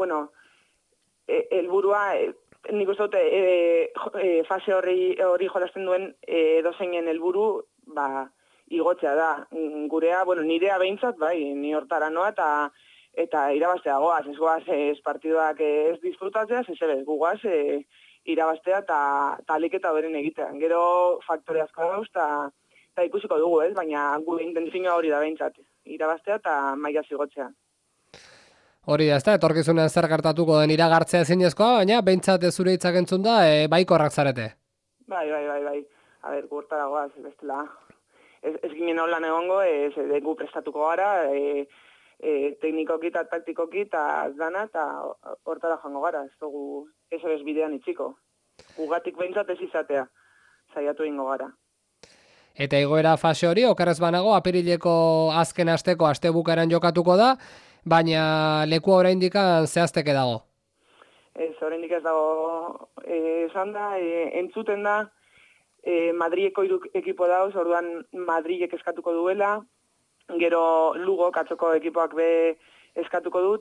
nik uste dute fase hori jolasten duen edozeinen helburu, igotzea da. Gurea, nirea behintzat, bai, ni hortara noa, eta irabaztea goaz, ez goaz partiduak ez disfrutatzea, ez guaz irabaztea eta aliketa beren egitea. Gero faktore asko dauz eta ikusiko dugu, ez? Baina gure intenzioa hori da behintzat, irabaztea eta maila zigotzea. Hori da, ez da, etorkizunean zer gertatuko den iragartzea ezinezkoa, baina behintzat zure hitzak entzun da, baikorrak zarete. Bai. A ber, gurtara goaz, bestela. Ez ginen holan egongo, gu prestatuko gara, teknikoki eta taktikoki eta dana eta hortara joango gara, ez dugu ez bidean itxiko. Ugatik behintzat ez izatea, saiatu egingo gara. Eta igoera fase hori, okerrez banago, apirileko azken asteko astebukaeran jokatuko da, baina lekua oraindik zehazteke dago. Ez, oraindik ez dago esan da, entzuten da, Madrileko ekipo dauz, orduan Madrilek eskatuko duela, gero Lugo katzoko ekipoak be eskatuko du,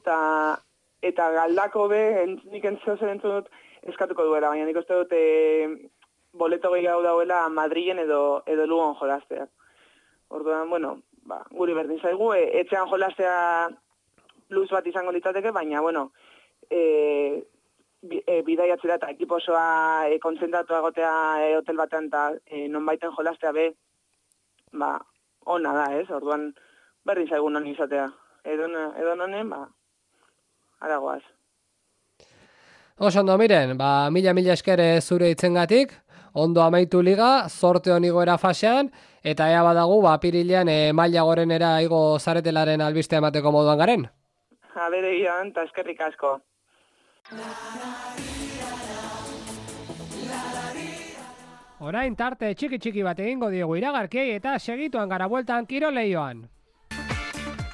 eta Galdako be, nik entziozen dut eskatuko duela, baina nik uste dut boleto gehiago dauela Madrilen edo Lugon jolaztea. Orduan, guri berdin zaigu, etxean jolaztea plus bat izango litzateke, baina, bidaiatzera eta ekipo osoa kontzentratu egotea hotel batean eta nonbaiten jolaztea be, ona da, ez? Orduan, berdin zaigu non izatea. Edo nonen, aragoaz. Oso ondo, Miren, mila esker zure itzengatik, ondo amaitu liga, zorte honigoera fasean, eta ea badagu, apirilean maila gorenera igo zaretelaren albistea emateko moduan garen. Bere gian, eta eskerrik asko. Orain tarte txiki bat egingo diegu iragarkiei eta segituan gara bueltan kiroleioan.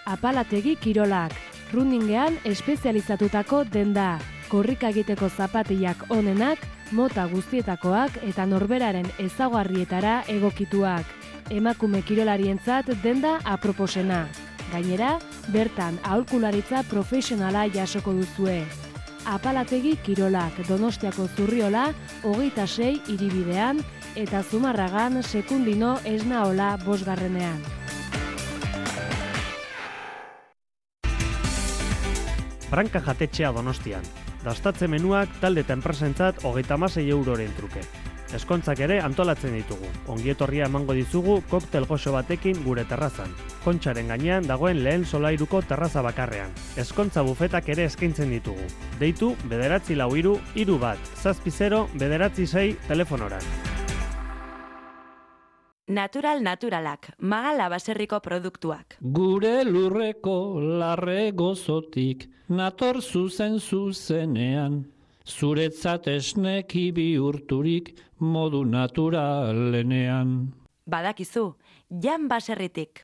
Apalategi kirolak, runningean espezializatutako denda, korrika egiteko zapatiak onenak, mota guztietakoak eta norberaren ezaugarrietara egokituak. Emakume kirolarientzat denda aproposena. Gainera, bertan aholkularitza profesionala jasoko duzue. Apalategi kirolak Donostiako Zurriola 26 hiribidean eta Zumarragan Sekundino Esnaola 5. Franka jatetxea Donostian. Dastatze menuak talde eta enpresentzat 36 euroren truke. Eskontzak ere antolatzen ditugu. Ongietorria emango dizugu koktel goxo batekin gure terrazan. Kontxaren gainean dagoen lehen solairuko terraza bakarrean. Eskontza bufetak ere eskaintzen ditugu. Deitu 943-31-096 telefonoran. Naturalak, Magala baserriko produktuak. Gure lurreko larre gozotik, nator zuzenean. Zuretzat esneki bihurturik modu naturalenean. Badakizu, Jan baserritik.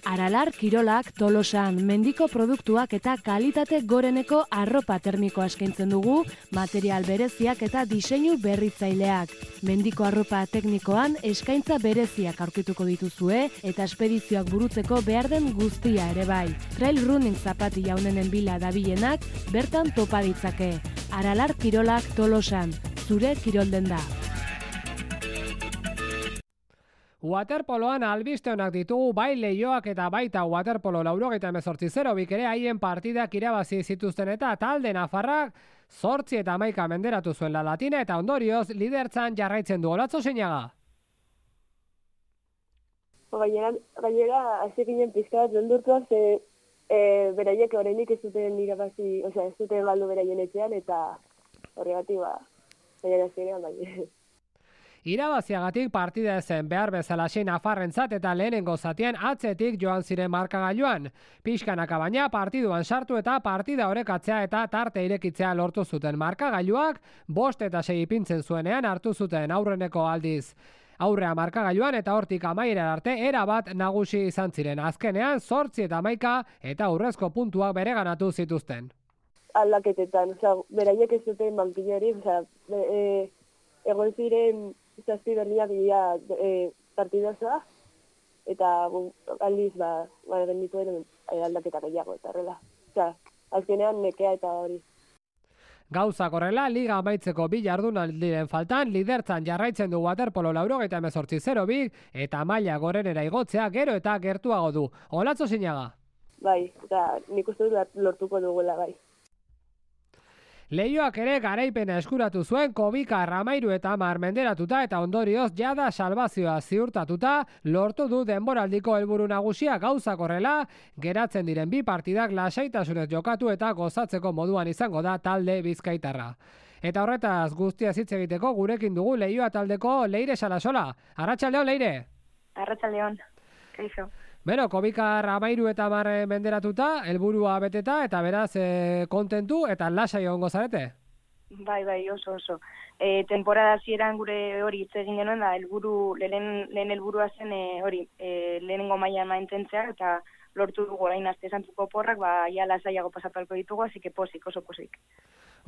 Aralar Kirolak Tolosan mendiko produktuak eta kalitate goreneko arropa termikoa eskaintzen dugu, material bereziak eta diseinu berritzaileak. Mendiko arropa teknikoan eskaintza bereziak aurkituko dituzue eta espedizioak burutzeko behar den guztia ere bai. Trail running zapati jaunenen bila dabilenak bertan topa ditzake. Aralar Kirolak Tolosan, zure kirolden da. Waterpoloan albiste honak ditugu bai Leioak eta baita Waterpolo 98-0 ere haien partidak irabazi zituzten eta talde nafarrak 8 eta 11 menderatu zuen La Latina eta ondorioz lidertzan jarraitzen du. Olatzo Zeinaga. Gainera, hasi ginen pizka bat beldurtuak, beraiek oraindik ez zuten irabazi, ez zuten galdu beraien etxean eta horregatik gainera zirean bai. Irabaziagatik partida ezen behar bezalaxe nafarrentzat eta lehenengo zatian atzetik joan ziren markagailuan. Pixkanaka baina partiduan sartu eta partida orekatzea eta tarte irekitzea lortu zuten markagailuak, 5 eta 6 ipintzen zuenean hartu zuten aurreneko aldiz. Aurrea markagailuan eta hortik amaiera arte erabat nagusi izan ziren. Azkenean 8 eta 11 eta aurrezko puntuak bereganatu zituzten. Aldaketetan, beraiek ez zuten bankilari, egon ziren zazpi berdiak dira partidozoa, eta aldiz genituen aldaketak gehiago eta horrela. Azkenean nekea eta hori. Gauzak horrela, liga amaitzeko 2 jardunaldiren faltan, lidertzan jarraitzen du Waterpolo 98-0 eta maila gorenera igotzea gero eta gertuago du. Olatzo Zeinaga. Bai, eta nik uste dut lortuko dugula bai. Leioak ere garaipena eskuratu zuen Kobika Ramairu eta 10 menderatuta eta ondorioz jada salbazioa ziurtatuta lortu du denboraldiko helburu nagusia. Gauzak horrela, geratzen diren 2 partidak lasaitasunez jokatu eta gozatzeko moduan izango da talde bizkaitarra. Eta horretaz guztia hitz egiteko gurekin dugu Leioa taldeko Leire Salasola. Arratsaldeon Leire. Arratsaldeon. Kaixo. Bero, Kobika Ramairu eta 10 menderatuta, helburua beteta eta beraz kontentu eta lasai egongo zarete? Bai, oso. Temporada hasieran gure hori hitz egin genuen da lehen helburua zen lehenengo mailan mantentzea eta lortu dugu orain aste santuko porrak, ja lasaiago pasatuko ditugu, así que oso posik.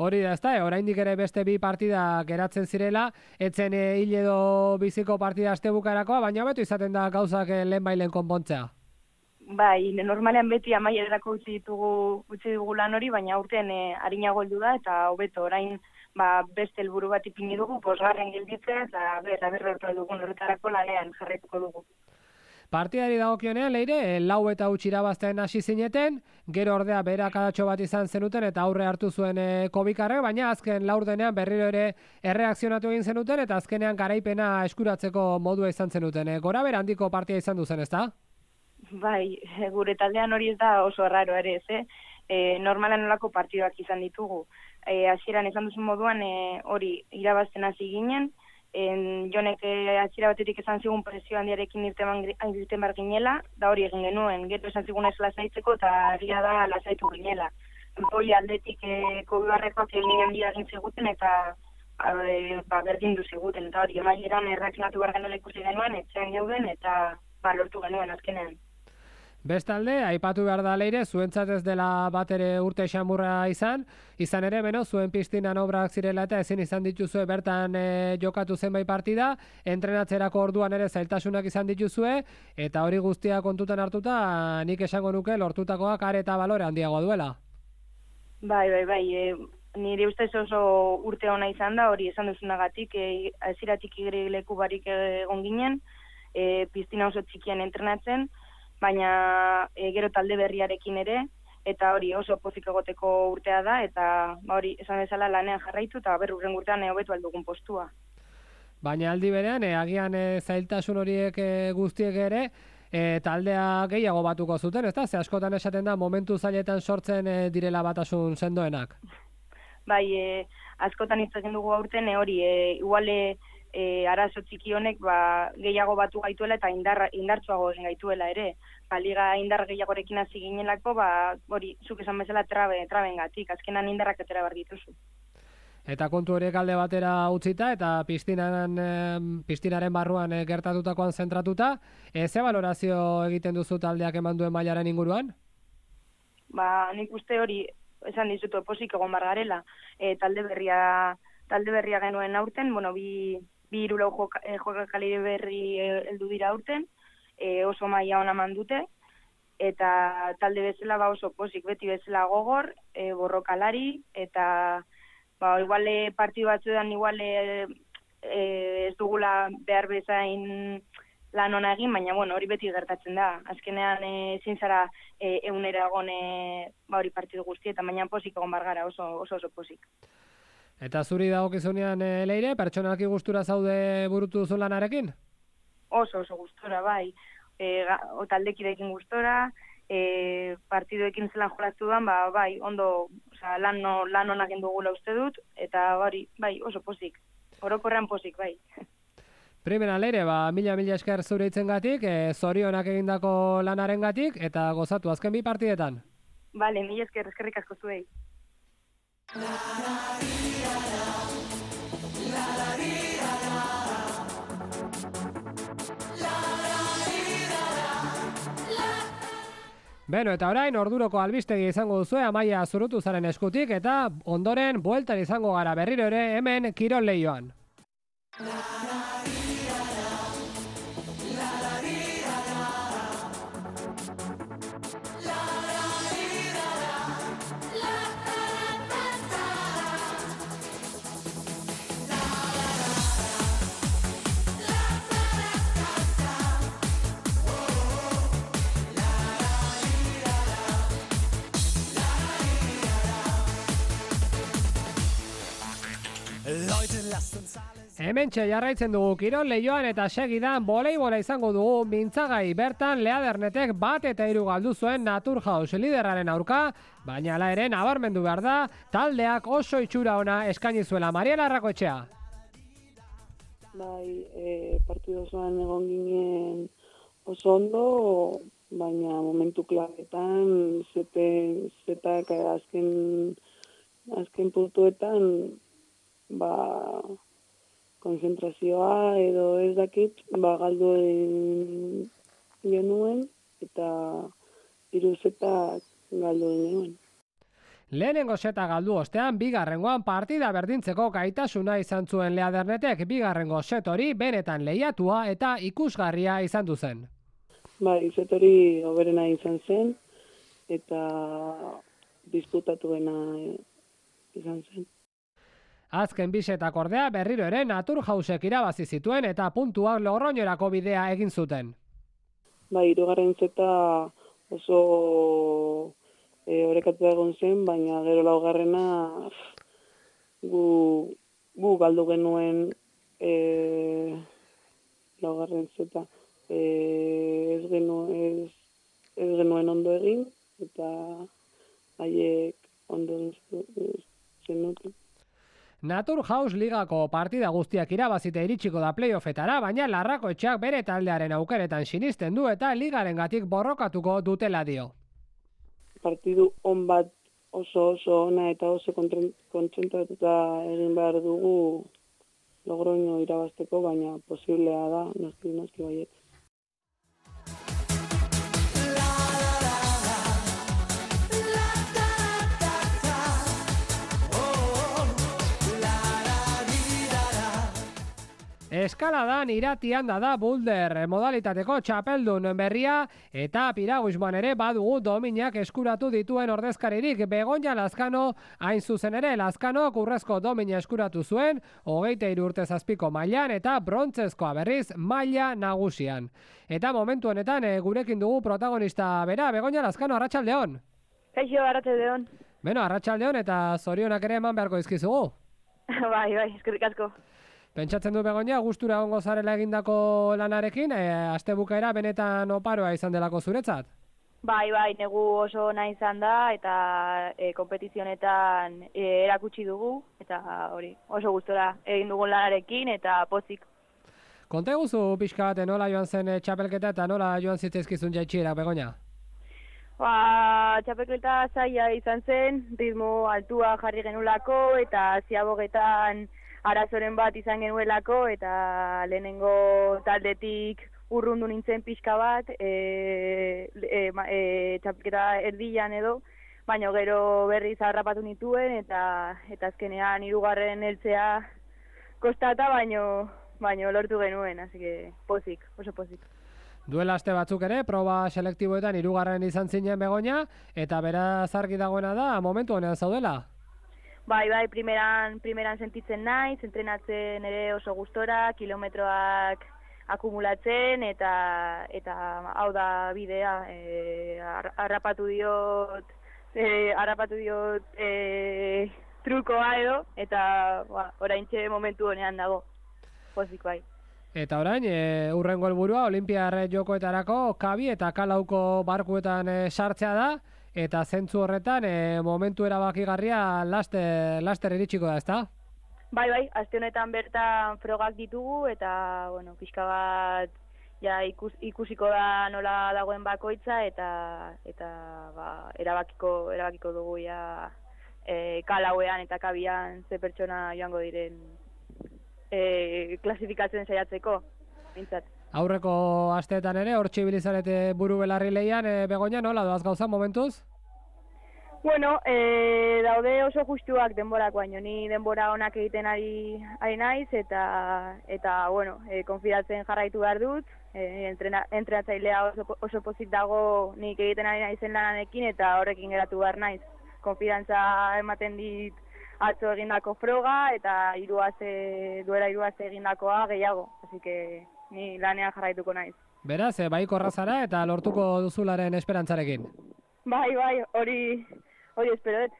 Hori da, ezta, oraindik ere beste 2 partida geratzen zirela, etzen hil edo biziko partida astebukarakoa, baina beto izaten da gauzak lehenbailen konpontzea. Bai, normalean beti amaierako utzi dugu lan hori, baina urtean arinago heldu da eta hobeto orain beste helburu bat ipini dugu, 5. gelditzea eta berrertu dugun horretarako lanean jarraituko dugu. Partidari dagokionean, Leire, 4 eta 8 irabazten hasi zineten, gero ordea berakadatxo bat izan zenuten eta aurre hartu zuen Kobikarrek, baina azken laurdenean berriro ere erreakzionatu egin zenuten eta azkenean garaipena eskuratzeko modua izan zenuten. Gora bera handiko partida izan duzen, ezta? Bai, gure taldean hori ez da oso raro ere, normalan nolako partidoak izan ditugu. Hasieran izan duzun moduan hori irabazten hasi ginen, Jonek atxira batetik esan zigun presio handiarekin irten bar ginela, da hori egin genuen, gero esan zigun ez lasaitzeko eta agia da lasaitu ginela. Goi aldetik Kobibarrekoak egin handia egin ziguten eta berdin du ziguten, eta hori emaileran erreakzionatu behar genuen ikusi genuen, etxean geuden eta lortu genuen azkenean. Bestalde, aipatu behar da Leire, zuentzat ez dela bat ere urte xamurra izan ere, zuen piztinan obrak zirela eta ezin izan dituzue bertan jokatu zenbait partida, entrenatzerako orduan ere zailtasunak izan dituzue, eta hori guztia kontutan hartuta, nik esango nuke lortutakoak are eta balore handiagoa duela. Bai, nire ustez oso urte ona izan da, hori esan duzunagatik, hasieratik leku barik egon ginen, piztina oso txikian entrenatzen, baina gero talde berriarekin ere, eta hori oso pozik egoteko urtea da, eta hori esan bezala lanean jarraitu, eta urren urtean hobetu aldugun postua. Baina aldi berean, agian zailtasun horiek guztiek ere, taldea gehiago batuko zuten, ezta? Ze askotan esaten da, momentu zailetan sortzen direla batasun sendoenak. Bai, askotan hitz egin dugu aurten, hori, iguale arazo txiki honek gehiago batu gaituela eta indartsuago egin gaituela ere. Liga indar gehiagorekin hasi ginelako, hori, zuk esan bezala trabengatik, azkenan indarrak atera behar dituzu. Eta kontu horiek alde batera utzita eta piztinaren barruan gertatutakoan zentratuta, ze balorazio egiten duzu taldeak eman duen mailaren inguruan? Nik uste hori, esan dizutu, pozik egon bar garela. Talde berria genuen aurten, bi hirulau jokakali berri heldu dira aurten, oso maila ona eman dute, eta talde bezala oso pozik, beti bezala gogor, borrokalari, eta iguale partidu batzuetan ez dugula behar bezain lan ona egin, baina hori beti gertatzen da. Azkenean ezin zara egunera egon hori partidu guztietan, baina pozik egon bar gara, oso pozik. Eta zuri dagokizunean Leire, pertsonalki gustura zaude burutu duzun lanarekin? Oso gustora, bai. Taldekideekin gustora, partiduekin zelan jolaztu duan, bai, ondo, lan onak dugula uste dut, eta bai, oso pozik. Orokorrean pozik, bai. Primera Leire, mila esker zure hitzengatik, zorionak egindako lanarengatik, eta gozatu azken bi partidetan. Bale, mila eskerrik asko zuei. Beno, eta orain orduroko albistegi izango duzue Amaia Zurutuzaren eskutik eta ondoren bueltan izango gara berriro ere hemen Kirol Leioan. Hementxe jarraitzen dugu Kirol Leioan eta segidan voleibola izango dugu mintzagai bertan Leadernetek 1-3 galdu zuen Naturhaus liderraren aurka, baina hala ere nabarmendu behar da taldeak oso itxura ona eskaini zuela. Mariela Arrakoetxea. Bai, partidu osoan egon ginen oso ondo, baina momentu klabetan zetak azken puntuetan konzentrazioa edo ez dakit, galdu genuen eta 3 zetak galdu genuen. Lehenengo seta galdu ostean, bigarrengoan partida berdintzeko gaitasuna izan zuen Leadernetek, bigarrengo set hori benetan lehiatua eta ikusgarria izan du zen. Bai, set hori hoberena izan zen eta disputatuena izan zen. Azken bisetak ordea berriro ere Naturhausek irabazi zituen eta puntuak Logroñorako bidea egin zuten. Bai, 3. zeta oso orekatu egon zen, baina gero 4. gu galdu genuen 4. zeta. Ez genuen ondo egin eta haiek ondo zenuten. Naturhaus ligako partida guztiak irabazite iritsiko da playoffetara, baina Larrakoetxeak bere taldearen aukeretan sinisten du eta ligarengatik borrokatuko dutela dio. Partidu on bat oso ona eta oso kontzentratuta egin behar dugu Logroño irabazteko, baina posiblea da, noski baiet. Eskaladan iratian da boulder modalitateko txapeldun berria eta piraguismoan ere badugu dominak eskuratu dituen ordezkaririk. Begoña Lazkano hain zuzen ere Lazkanok urrezko domina eskuratu zuen 23 urte zazpiko mailan eta brontzezkoa berriz maila nagusian. Eta momentu honetan gurekin dugu protagonista bera, Begoña Lazkano, arratsaldeon. Kaixo, arratsaldeon. Beno, arratsaldeon eta zorionak ere eman beharko dizkizugu. Bai, eskerrik asko. Pentsatzen du Begoña, gustura egongo zarela egindako lanarekin, astebukaera benetan oparoa izan delako zuretzat. Bai, negu oso nahi izan da eta konpetizionetan erakutsi dugu eta hori, oso gustora egin dugun lanarekin eta pozik. Konta eguzu pixka bat nola joan zen txapelketa eta nola joan zitzaizkizun jaitsierak, Begoña? Txapelketa zaila izan zen, ritmo altua jarri genulako eta ziabogetan arazoren bat izan genuelako eta lehenengo taldetik urrundu nintzen pixka bat, txapelketa erdian edo, baina gero berriz harrapatu nituen eta azkenean 3. heltzea kostata, baino lortu genuen, así que pozik, oso pozik. Duela aste batzuk ere, proba selektiboetan 3. izan zinen Begoña, eta beraz argi dagoena da, momentu honean zaudela? Bai, primeran sentitzen naiz, entrenatzen ere oso gustora, kilometroak akumulatzen, eta hau da bidea, harrapatu diot trukoa edo, eta oraintxe momentu honean dago, pozik bai. Eta orain, hurrengo helburua Olinpiar Jokoetarako kabi eta kalauko barkuetan sartzea da, eta zentzu horretan momentu erabakigarria laster iritsiko da, ezta? Bai, aste honetan bertan frogak ditugu, eta, pixka bat ja ikusiko da nola dagoen bakoitza, eta erabakiko dugu ja kalauean eta kabian ze pertsona joango diren klasifikatzen saiatzeko, bintzat. Aurreko asteetan ere, hortxe ibilizarete buru belarri lehian, Begoña, nola doaz gauza momentuz? Daude oso justuak denborak, baino ni denbora onak egiten ari naiz, eta konfidatzen jarraitu behar dut, entrenatzailea oso pozik dago nik egiten ari naizen lananekin, eta horrekin geratu behar naiz. Konfidantza ematen dit atzo egindako froga, eta duela 3 aste egindakoa gehiago, así que ni lanean jarraituko naiz. Beraz, baiko errazara eta lortuko duzularen esperantzarekin. Bai, hori espero dut.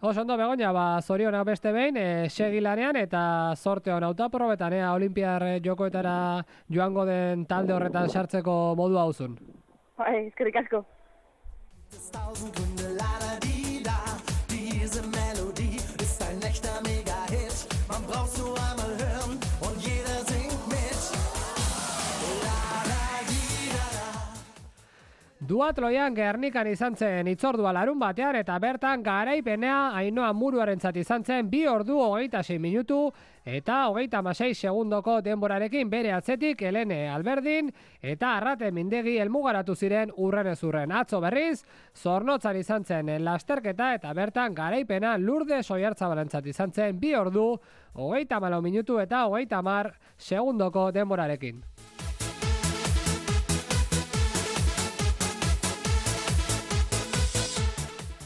Oso ondo, Begoña, zorionak beste behin, segi lanean eta zorte hon hautaprobetan, Olinpiar Jokoetara joango den talde horretan sartzeko modua hauzun. Bai, eskerrik asko. Duatloian Gernikan izan zen hitzordua larun batean eta bertan garaipenea Ainhoa Muruarentzat izan zen 2 ordu 26 minutu eta 36 segundoko denborarekin bere atzetik Helene Alberdin eta Arrate Mindegi helmugaratu ziren urrenez urren. Atzo berriz, Zornotzan izan zen lasterketa eta bertan garaipena Lourdes Oiartzabalentzat izan zen 2 ordu 34 minutu eta 30 segundoko denborarekin.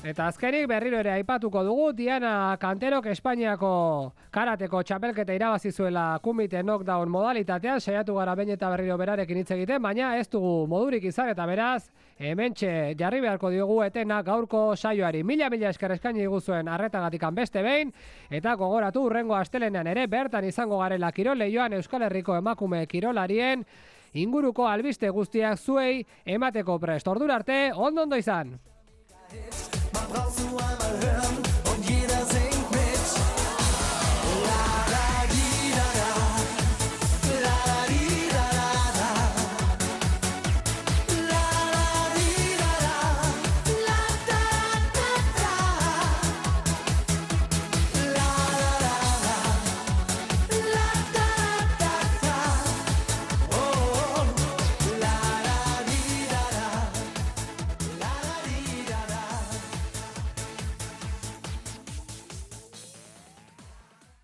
Eta azkenik berriro ere aipatuko dugu, Diana Kanterok Espainiako karateko txapelketa irabazi zuela kumite knockdown modalitatean, saiatu gara behin eta berriro berarekin hitz egiten, baina ez dugu modurik izan eta beraz, hementxe jarri beharko diogu etena gaurko saioari. Mila esker eskaini diguzuen arretagatikan beste behin, eta gogoratu hurrengo astelenean ere bertan izango garela kirol leioan Euskal Herriko emakume kirolarien inguruko albiste guztiak zuei emateko prest. Ordura arte, ondo izan! Brauchst du einmal hören?